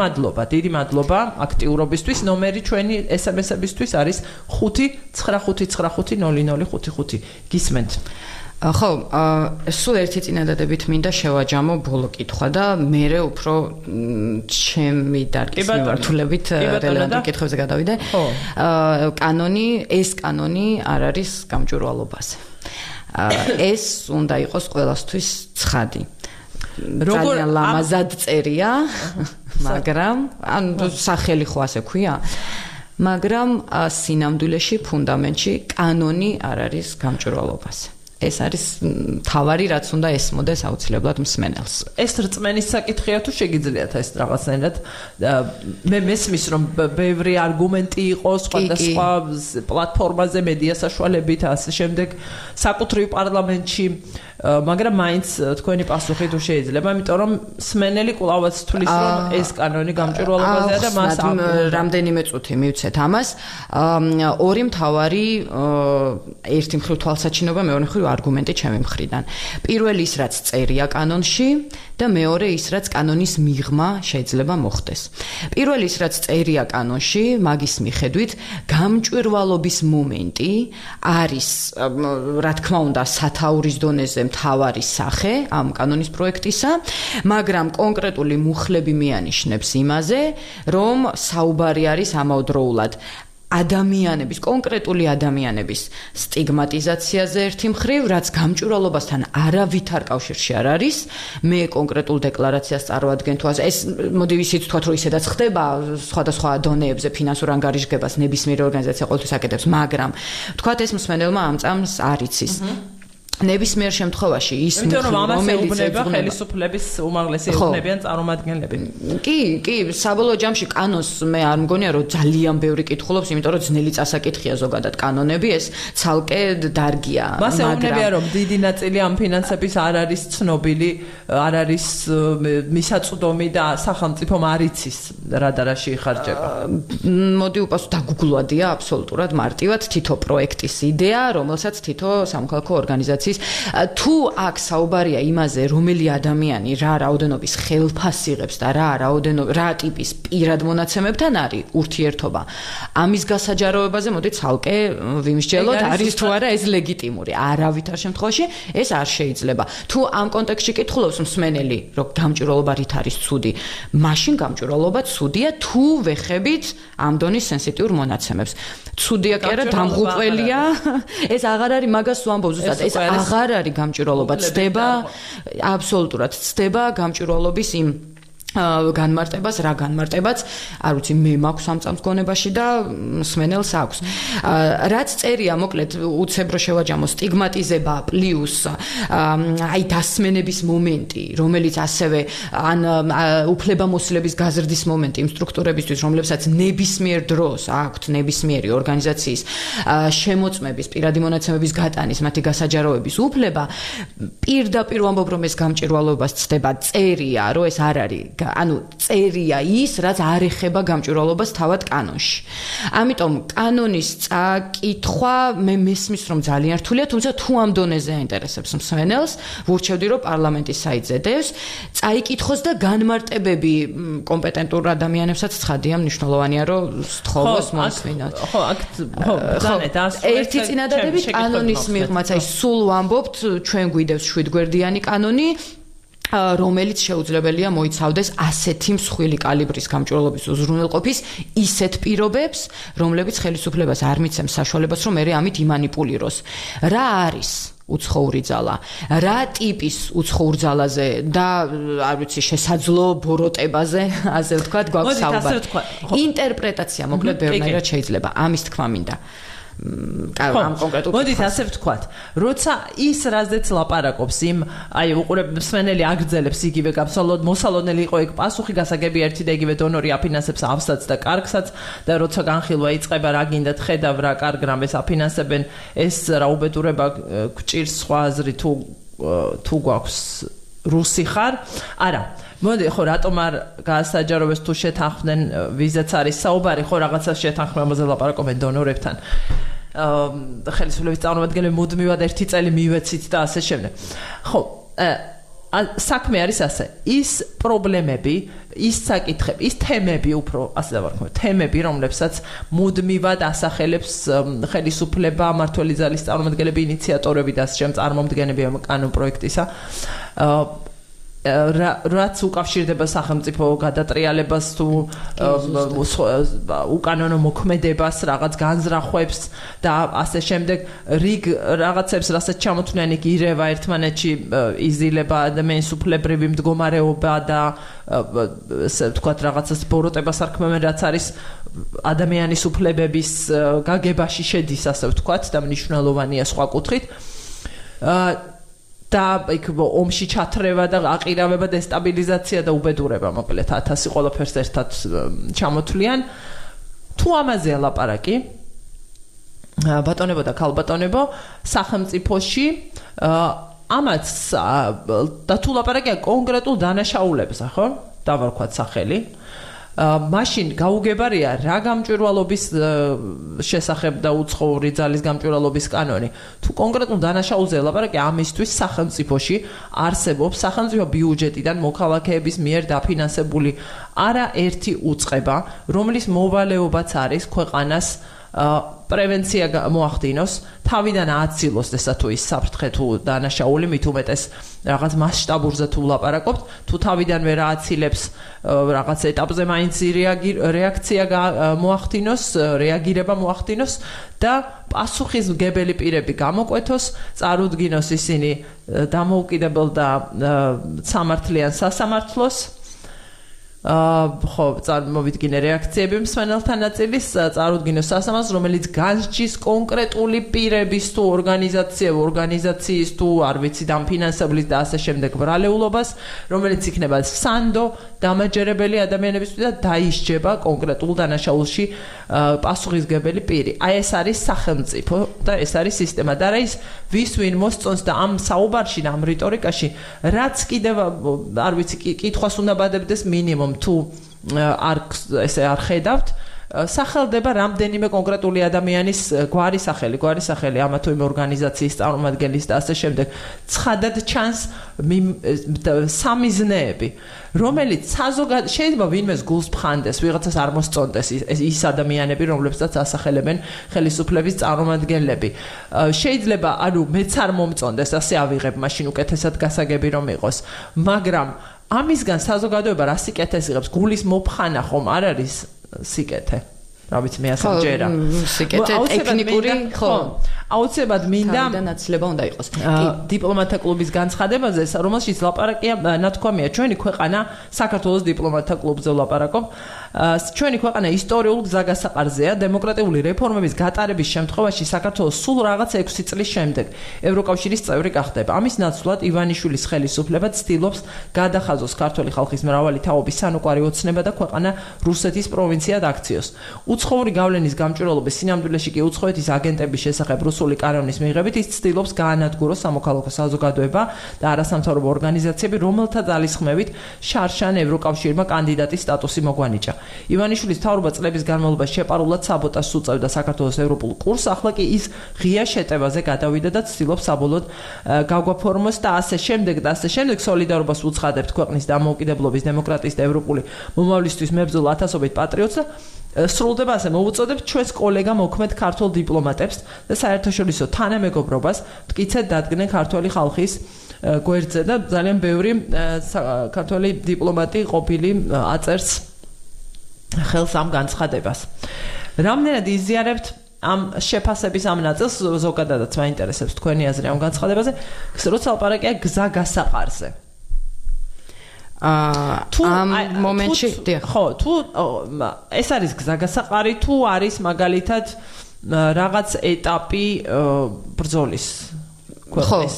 მადლობა აქტიურობისთვის ნომერი ჩვენი SMS-ებისთვის არის 595500055 გისმენთ ხო სულ ერთი წინადადებით მინდა შევაჯამო ბოლო კითხვა და მე უფრო ჩემი დარგის მიმართულებით რელევანტურ კითხვებზე გადავიდე ეს კანონი არ არის გამჭვირვალობაზე ეს უნდა იყოს ყველასთვის ცხადი ძალიან ლამაზად წერია მაგრამ ან სახელი ხო ასე ქვია მაგრამ სინამდვილეში ფუნდამენტში კანონი არ არის გამჭვირვალობაზე ეს არის თავარი რაც უნდა ესმოდეს აუცილებლად მსმენელს. ეს რწმენის საკითხია თუ შეგიძლიათ ეს რაღაცნაირად მე მესმის რომ ბევრი არგუმენტი იყოს სხვადასხვა პლატფორმაზე მედია საშუალებით ასე შემდეგ საკუთრივ პარლამენტში მაგრამ მაინც თქვენი პასუხი თუ შეიძლება იმიტომ რომ მსმენელი კვლავაც თulis რომ ეს კანონი გამჭვირვალობაზეა და მას რამდენიმე წუთი მივცეთ ამას ორი მთავარი ერთი მხრივ თვალსაჩინობა მეორე მხრივ არგუმენტი ჩემი მხრიდან. პირველი ის რაც წერია კანონში და მეორე ის რაც კანონის მიღმა შეიძლება მოხდეს. პირველი ის რაც წერია კანონში, მაგის მიხედვით გამჭვირვალობის მომენტი არის რა თქმა უნდა სათაურის დონეზე მთავარი სახე ამ კანონის პროექტისა, მაგრამ კონკრეტული მუხლები მიანიშნებს იმაზე, რომ საუბარი არის ამავდროულად ადამიანების, კონკრეტული ადამიანების სტიგმატიზაციაზე ერთი მხრივ, რაც გამჭვირვალობასთან არავითარ კავშირში არ არის. მე კონკრეტულ დეკლარაციას წარმოადგენ თუ ეს მოდი ვიცით თქვათ რომ ისედაც ხდება სხვადასხვა დონეებზე ფინანსურ ანგარიშგებას ნებისმიერი ორგანიზაცია ყოველთვის აკეთებს, მაგრამ თქვათ ეს მსმენელმა ამ წამს არ იცის. ნებისმიერ შემთხვევაში ის რომელიც ხელისუფლების უმაღლესი ეუბნებიან წარმომადგენლები. კი, საბოლოო ჯამში კანონს მე არ მგონია რომ ძალიან ბევრი კითხულობს, იმიტომ რომ ძნელი წასაკითხია ზოგადად კანონები, ეს ცალკე დარგია. მას ეუბნებიან რომ დიდი ნაწილი ამ ფინანსების არ არის ცნობილი, არ არის მისაწვდომი და სახელმწიფომ არ იცის რა და რაში იხარჯება. მოდი უპასუხო დაგუგლვადია აბსოლუტურად მარტივად თითო პროექტის იდეა, რომელსაც თითო სამოქალაქო ორგანიზაცია ორგანიზაციის თუ აქ საუბარია იმაზე რომელი ადამიანი რა რაოდენობის ხელფას იღებს და რა ტიპის პირად მონაცემებთან არის ურთიერთობა ამის გასაჯაროებაზე მოდი ცალკე ვიმსჯელოთ არის თუ არა ეს ლეგიტიმური არავითარ შემთხვევაში ეს არ შეიძლება თუ ამ კონტექსტში კითხულობს მსმენელი რომ გამჭვირვალობა რით არის ცუდი მაშინ გამჭვირვალობა ცუდია თუ ვეხებით ამ დონის სენსიტიურ მონაცემებს ცუდია კი არა დამღუპველია ეს აღარ არის მაგას ვამბობ ზუსტად ეს აღარ არის გამჭვირვალობა ცდება აბსოლუტურად ცდება გამჭვირვალობის იმ განმარტებას რა განმარტებაც არ ვიცი მე მაქვს ამ წამს გონებაში და მსმენელს აქვს რაც წერია მოკლედ უცებრო შევაჯამო სტიგმატიზება პლუს აი დასმენების მომენტი რომელიც ასევე ან უფლებამოსილების გაზრდის მომენტი იმ სტრუქტურებისთვის რომლებსაც ნებისმიერ დროს აქვთ ნებისმიერი ორგანიზაციის შემოწმების პირადი მონაცემების გატანის მათი გასაჯაროების უფლება პირდაპირ ვამბობ რომ ეს გამჭვირვალობას ცდება წერია რომ ეს არ არის ანუ წერია ის, რაც არ ეხება გამჭვირვალობას თავად კანონში. ამიტომ კანონის წაკითხვა მე მესმის რომ ძალიან რთულია, თუმცა თუ ამ დონეზე აინტერესებს მსმენელს, ვურჩევდი რომ პარლამენტის საიტზე დევს, წაიკითხოს და განმარტებები კომპეტენტურ ადამიანებსაც ცხადია მნიშვნელოვანია რომ სთხოვოს მოისმინოთ. ერთი წინადადები კანონის მიღმაც, აი სულ ვამბობთ, ჩვენ გვიდევს 7 გვერდიანი კანონი რომელიც შეუძლებელია მოიცავდეს ასეთი მსხვილი კალიბრის გამჭვირვალობის უზრუნველყოფის ისეთ პირობებს, რომლებიც ხელისუფლებას არ მიცემს საშუალებას, რომ მე ამით იმანიპულიროს. რა არის უცხოური ძალა? რა ტიპის უცხოურ ძალაზე და არ ვიცი შესაძლო ბოროტებაზე, ასე ვთქვათ, გვაქვს საუბარი. ინტერპრეტაცია მოკლედ ბევრნაირად შეიძლება. ამის თქმა მინდა. ამ კონკრეტულ მოდით ასე ვთქვათ, როცა ის რაზეც ლაპარაკობს იმ აი უყურებ მსმენელი აგრძელებს იგივე მოსალოდნელი იყო ეგ პასუხი გასაგები ერთი და იგივე დონორი აფინანსებს ავსაც და კარგსაც და როცა განხილვა იწყება რა გინდათ ხედავ რა კარგ რამეს აფინანსებენ ეს რა უბედურება გჭირს სხვა აზრი თუ გვაქვს რუსი ხარ არა მოდი ხო რატომ არ გაასაჯაროებს თუ შეთანხმდნენ ვიზაც არის საუბარი ხო რაღაცა შეთანხმებაზე ლაპარაკობენ დონორებთან ხელისუფლების წარმომადგენლები მუდმივად ერთი წელი მივეცით და ასე შემდეგ ხო საქმე არის ასე ის პრობლემები ის საკითხები ის თემები უფრო ასე დავარქმევ თემები რომლებსაც მუდმივად ასახელებს ხელისუფლება მმართველი ძალის წარმომადგენლები ინიციატორები და ასე შემდეგ წარმომადგენლები ამ კანონ პროექტისა რაც უკავშირდება სახელმწიფო გადატრიალებას თუ უკანონო მოქმედებას რაღაც განზრახვებს და ასე შემდეგ რიგ რაღაცებს რასაც ჩამოთვლიან იქ ირევა ერთმანეთში იზილება ადამიანის უფლებრივი მდგომარეობა და ასე ვთქვათ რაღაცას ბოროტებას არქმევენ რაც არის ადამიანის უფლებების გაგებაში შედის ასე ვთქვათ და მნიშვნელოვანია სხვა კუთხით და იქ ომში ჩათრევა და აყირავება დესტაბილიზაცია და უბედურება მოკლედ 1000 ყველაფერს ერთად ჩამოთვლიან თუ ამაზეა ლაპარაკი ბატონებო და ქალბატონებო სახელმწიფოში ამაც და თუ ლაპარაკია კონკრეტულ დანაშაულებზე ხო დავარქვათ სახელი მაშინ გაუგებარია რა გამჭვირვალობის შესახებ და უცხოური ძალის გამჭვირვალობის კანონი თუ კონკრეტულ დანაშაულზე ლაპარაკი ამისთვის სახელმწიფოში არსებობს სახელმწიფო ბიუჯეტიდან მოქალაქეების მიერ დაფინანსებული არაერთი უწყება რომლის მოვალეობაც არის ქვეყანას პრევენცია მოახდინოს თავიდან ააცილოს ესა თუ ის საფრთხე თუ დანაშაული მით უმეტეს რაღაც მასშტაბურზე თუ ლაპარაკობთ თუ თავიდანვე რა აცილებს რაღაც ეტაპზე მაინც რეაქცია მოახდინოს რეაგირება მოახდინოს და პასუხისმგებელი პირები გამოკვეთოს წარუდგინოს ისინი დამოუკიდებელ და სამართლიან სასამართლოს ხო წარმოვიდგინე რეაქციები მსმენელთა ნაწილის წარუდგინოს სასამართლოს რომელიც განსჯის კონკრეტული პირების თუ ორგანიზაციის თუ არ ვიცი დამფინანსებლის და ასე შემდეგ ბრალეულობას რომელიც იქნება სანდო დამაჯერებელი ადამიანებისთვის და დაისჯება კონკრეტულ დანაშაულში პასუხისმგებელი პირი აი ეს არის სახელმწიფო და ეს არის სისტემა და რა ის ვის ვინ მოსწონს და ამ საუბარში და ამ რიტორიკაში რაც კიდევ არ ვიცი კითხვას უნდა ბადებდეს მინიმუმ თუ არ ესე არ ხედავთ სახელდება რამდენიმე კონკრეტული ადამიანის გვარი სახელი ამა თუ იმ ორგანიზაციის წარმომადგენლის და ასე შემდეგ. ცხადად ჩანს სამიზნეები, რომელიც შეიძლება ვინმეს გულს ფხანდეს, ვიღაცას არ მოსწონდეს ის ადამიანები, რომლებსაც ასახელებენ ხელისუფლების წარმომადგენლები. შეიძლება, მეც არ მომწონდეს, ასე ავიღებ, მაშინ უკეთესად გასაგები რომ იყოს, მაგრამ ამისგან საზოგადოება რა სიკეთეს იღებს? გულის მოფხანა ხომ არ არის სიკეთე? რა ვიცი, მე ასე მჯერა. სიკეთე ტექნიკური, ხო. აუცილებლად მინდა დანაცლება უნდა იყოს. დიპლომატთა კლუბის განცხადებაზე, რომელშიც ლაპარაკია, ნათქვამია, ჩვენი ქვეყანა საქართველოს დიპლომატთა კლუბზე ლაპარაკობ. ჩვენი ქვეყანა ისტორიულ გზაგასაყარზეა დემოკრატიული რეფორმების გატარების შემთხვევაში საქართველოს სულ რაღაც 6 წლის შემდეგ ევროკავშირის წევრი გახდება. ამის ნაცვლად ივანიშვილის ხელისუფლება ცდილობს გადახაზოს ქართული ხალხის მრავალი თაობის სანუკვარი ოცნება და ქვეყანა რუსეთის პროვინციად აქციოს. უცხოური გავლენის გამჭვირვალობის სინამდვილეში კი უცხოეთის აგენტების შესახებ რუსული კანონის მიღებით ის ცდილობს გაანადგუროს სამოქალაქო საზოგადოება და არასამთავრობო ორგანიზაციები, რომელთა ძალისხმევით შარშან ევროკავშირმა კანდიდატის სტატუსი მოგვანიჭა. ივანიშვილის მთავრობა წლების განმავლობაში შეპარულად საბოტაჟს უწევდა საქართველოს ევროპულ კურსს, ახლა კი ის ღია შეტევაზე გადავიდა და ცდილობს საბოლოოდ გაგვაფორმოს და ასე შემდეგ სოლიდარობას უცხადებთ ქვეყნის დამოუკიდებლობის, დემოკრატიის და ევროპული მომავლისთვის მებრძოლ ათასობით პატრიოტს და სრულდება ასე მოვუწოდებთ ჩვენს კოლეგა მოქმედ ქართულ დიპლომატებს და საერთაშორისო თანამეგობრობას მტკიცედ დადგნენ ქართული ხალხის გვერდზე და ძალიან ბევრი ქართული დიპლომატი ყოფილი აწერს ხელს ამ განცხადებას. რამდენად იზიარებთ ამ შეფასების ამ ნაწილს, ზოგადადაც მაინტერესებს თქვენი აზრი ამ განცხადებაზე, როცა ლაპარაკია გზაგასაყარზე. ამ მომენტში ხო, თუ ეს არის გზაგასაყარი, თუ არის მაგალითად რაღაც ეტაპი ბრძოლის ქვეყნის.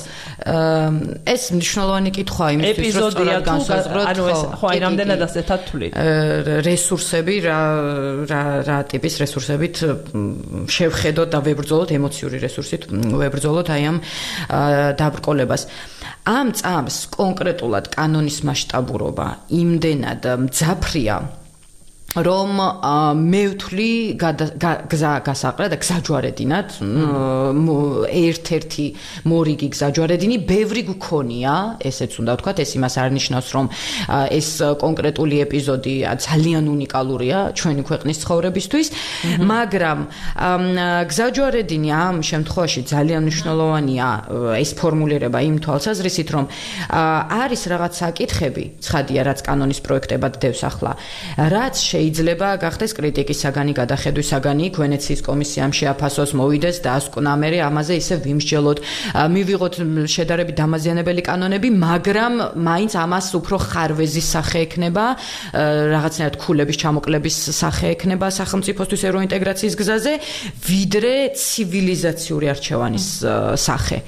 ეს მნიშვნელოვანი კითხვაა იმისთვის, რომ სწორად განსაზღვროთ, ხო, აი რამდენად ასეთად თვლით. რესურსები, რა ტიპის რესურსებით შევხედოთ და ვებრძოლოთ, ემოციური რესურსით ვებრძოლოთ აი ამ დაბრკოლებას. ამ წამს კონკრეტულად კანონის მასშტაბურობა იმდენად მძაფრია, რომ მე ვთვლი გზაგასაყრა და გზაჯვარედინად ერთ-ერთი მორიგი გზაჯვარედინი ბევრი გქონია, ესეც უნდა ვთქვათ, ეს იმას არ ნიშნავს, რომ ეს კონკრეტული ეპიზოდი ძალიან უნიკალურია ჩვენი ქვეყნის ცხოვრებისთვის, მაგრამ გზაჯვარედინი ამ შემთხვევაში ძალიან მნიშვნელოვანია ეს ფორმულირება იმ თვალსაზრისით, რომ არის რაღაც საკითხები, ცხადია, რაც კანონის პროექტებად დევს ახლა, რაც შეიძლება გახდეს კრიტიკის საგანი, გადახედვის საგანი, ვენეციის კომისიამ შეაფასოს, მოვიდეს და ასკვნამერე ამაზე ისე ვიმსჯელოთ, მივიღოთ შედარებით დამაზიანებელი კანონები, მაგრამ მაინც ამას უფრო ხარვეზის სახე ექნება, რაღაცნაირად ქულების ჩამოკლების სახე ექნება სახელმწიფოსთვის ევროინტეგრაციის გზაზე, ვიდრე ცივილიზაციური არჩევანის სახე.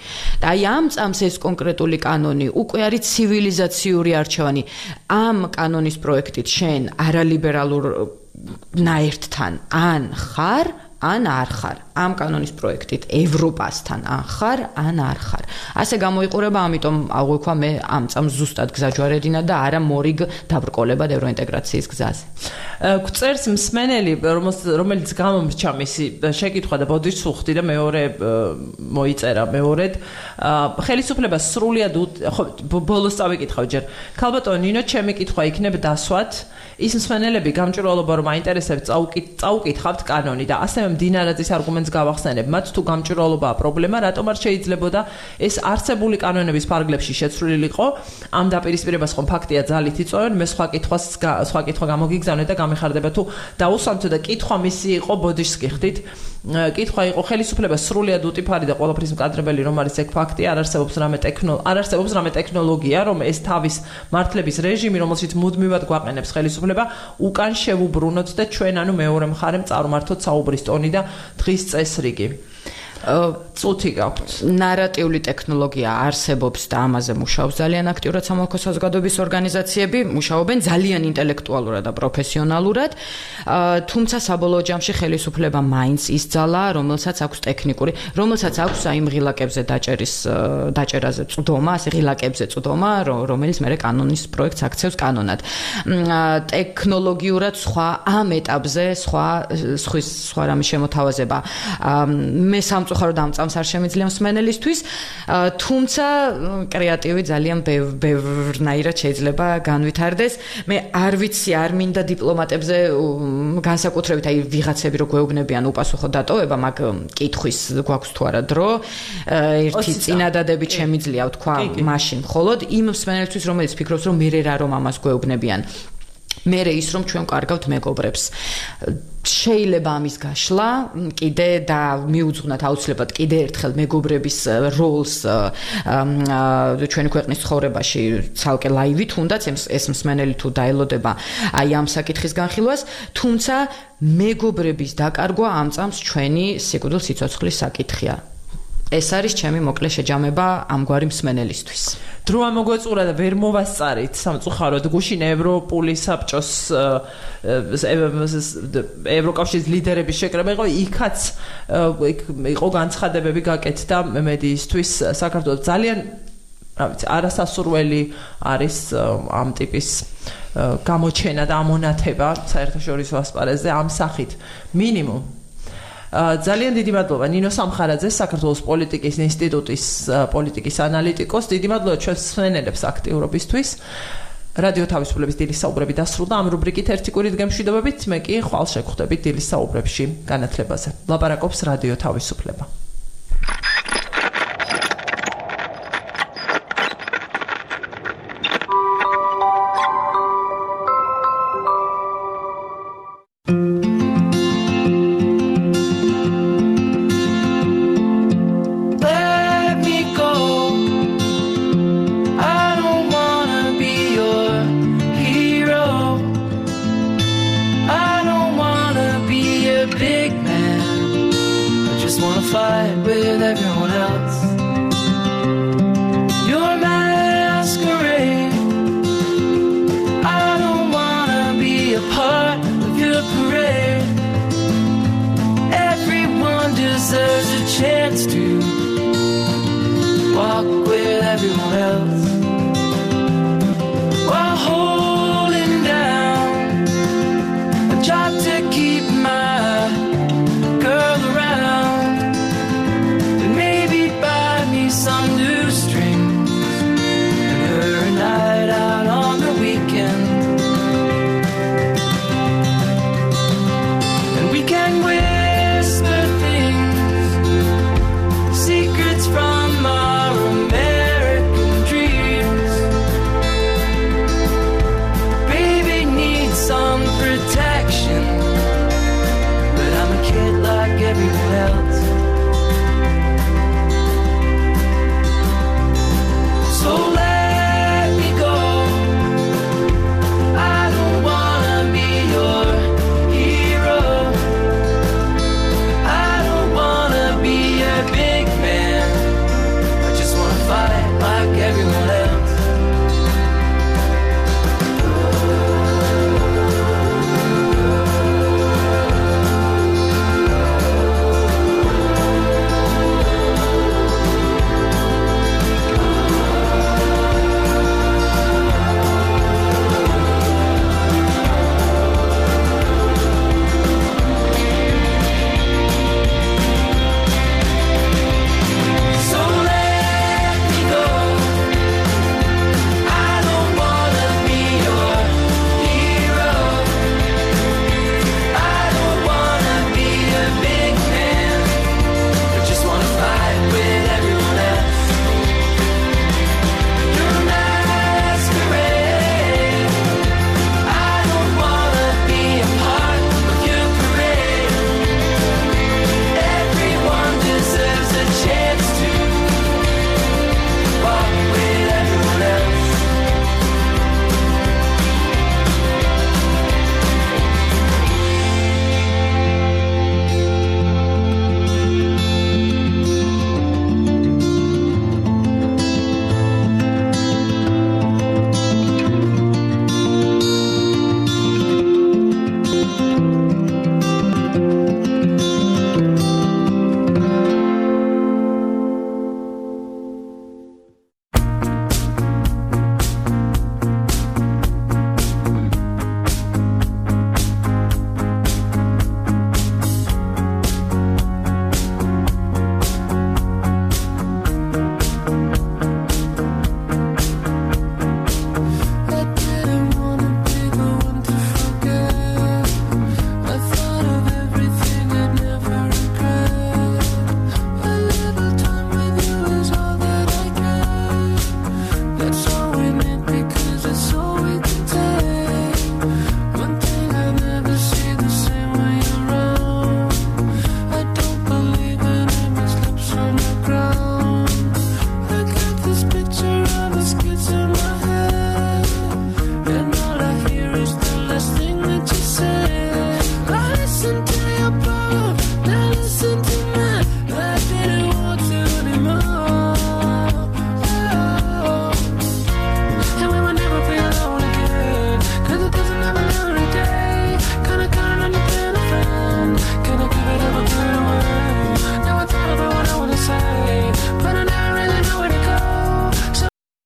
და აი ამ წამს ეს კონკრეტული კანონი უკვე არის ცივილიზაციური არჩევანი. ამ კანონის პროექტით შენ არალიბერალურ ნაერთთან ან ხარ, ან არ ხარ. ამ კანონის პროექტით ევროპასთან ან ხარ, ან არ ხარ. ასე გამოიყურება, ამიტომ აღვიქვა მე ამ წამს ზუსტად გზაჯვარედინა და არა მორიგ დაბრკოლებად ევროინტეგრაციის გზაზე. გვწერს მსმენელი, რომელიც გამომრჩა მისი შეკითხვა და ბოდიშს უხდი და მეორე მოიწერა მეორედ. ხელისუფლება სრულიად ბოლოს წავიკითხავ ჯერ. ქალბატონო ნინო, ჩემი კითხვა იქნება დასვათ. ის მსმენელები გამჭვირვალობა რომ აინტერესებს წაუკითხავთ კანონი და ასევე მდინარაძის არგუმენტს გავახსენებ. მათ თუ გამჭვირვალობაა პრობლემა, რატომ არ შეიძლებოდა ეს არსებული კანონების ფარგლებში შეცვლილიყო? ამ დაპირისპირებას ხომ ფაქტია ძალით იწვევენ, მე სხვა კითხვა გამოგიგზავნე და გამეხარდება თუ დაუსვამთო და კითხვა მისი იყო ბოდიშს გიხდით. კითხვა იყო ხელისუფლება სრულიად უტიფარი და ყველაფრის მკადრებელი რომ არის ეგ ფაქტი, არ არსებობს რამე ტექნოლოგია, რომ ეს თავის მართლების რეჟიმი, რომელშიც მუდმივად გვაყენებს ხელისუფლება, უკან შევუბრუნოთ და ჩვენ ანუ მეორე მხარემ წარმართოთ საუბრის ტონი და დღის წესრიგი. წუთი გაქვთ. ნარატიული ტექნოლოგია არსებობს და ამაზე მუშაობს ძალიან აქტიურად სამოქო საზოგადოების ორგანიზაციები, მუშაობენ ძალიან ინტელექტუალურად და პროფესიონალურად, თუმცა საბოლოო ჯამში ხელისუფლება მაინც ისძალა, რომელსაც აქვს ტექნიკური, რომელსაც აქვს აი ღილაკებზე დაჭერაზე წვდომა, ასე ღილაკებზე წვდომა, რომელიც მე კანონის პროექტს აქცევს კანონად. ტექნოლოგიურად სხვა ამ ეტაპზე სხვა რამის შემოთავაზება მე სამწუხაროდ ამ წამს არ შემიძლია მსმენელისთვის, თუმცა კრეატივი ძალიან ბევრნაირად შეიძლება განვითარდეს. მე არ ვიცი, არ მინდა დიპლომატებზე განსაკუთრებით აი ვიღაცები რო გვეუბნებიან უპასუხო დატოვება, მაგ კითხვის გვაქვს თუ არა დრო, ერთი წინადადებით შემიძლია ვთქვა მაშინ მხოლოდ იმ მსმენელთვის, რომელიც ფიქრობს, რომ მე რა რომ ამას გვეუბნებიან. მე ის რომ ჩვენ კარგავთ მეგობრებს. შეიძლება ამის გაშლა კიდე და მიუძღვნათ აუცილებლად კიდე ერთხელ მეგობრების როლს ჩვენი ქვეყნის ცხოვრებაში ცალკე ლაივით, თუნდაც ეს მსმენელი თუ დაელოდება აი ამ საკითხის განხილვას, თუმცა მეგობრების დაკარგვა ამ წამს ჩვენი სიკვდილ სიცოცხლის საკითხია. ეს არის ჩემი მოკლე შეჯამება ამგვარი მსმენელისთვის. დრო ამოგვეწურა და ვერ მოვასწარით სამწუხაროდ გუშინ ევროპული საბჭოს ევროკავშირის ლიდერების შეკრება იყო, იქაც იყო განცხადებები გაკეთდა მედიისთვის საქართველოს ძალიან რა ვიცი არასასურველი არის ამ ტიპის გამოჩენა და ამონათება საერთაშორისო ასპარეზზე ამ სახით მინიმუმ ძალიან დიდი მადლობა ნინო სამხარაძე, საქართველოს პოლიტიკის ინსტიტუტის პოლიტიკის ანალიტიკოს. დიდი მადლობა ჩვენს მსმენელებს აქტიურობისთვის. რადიო თავისუფლების დილის საუბრები დასრულდა. ამ რუბრიკით ერთი კვირით გემშვიდობებით, მე კი ხვალ შეგხვდებით დილის საუბრებში განათლებაზე. ლაპარაკობს რადიო თავისუფლება. Deserves a chance to walk with everyone else.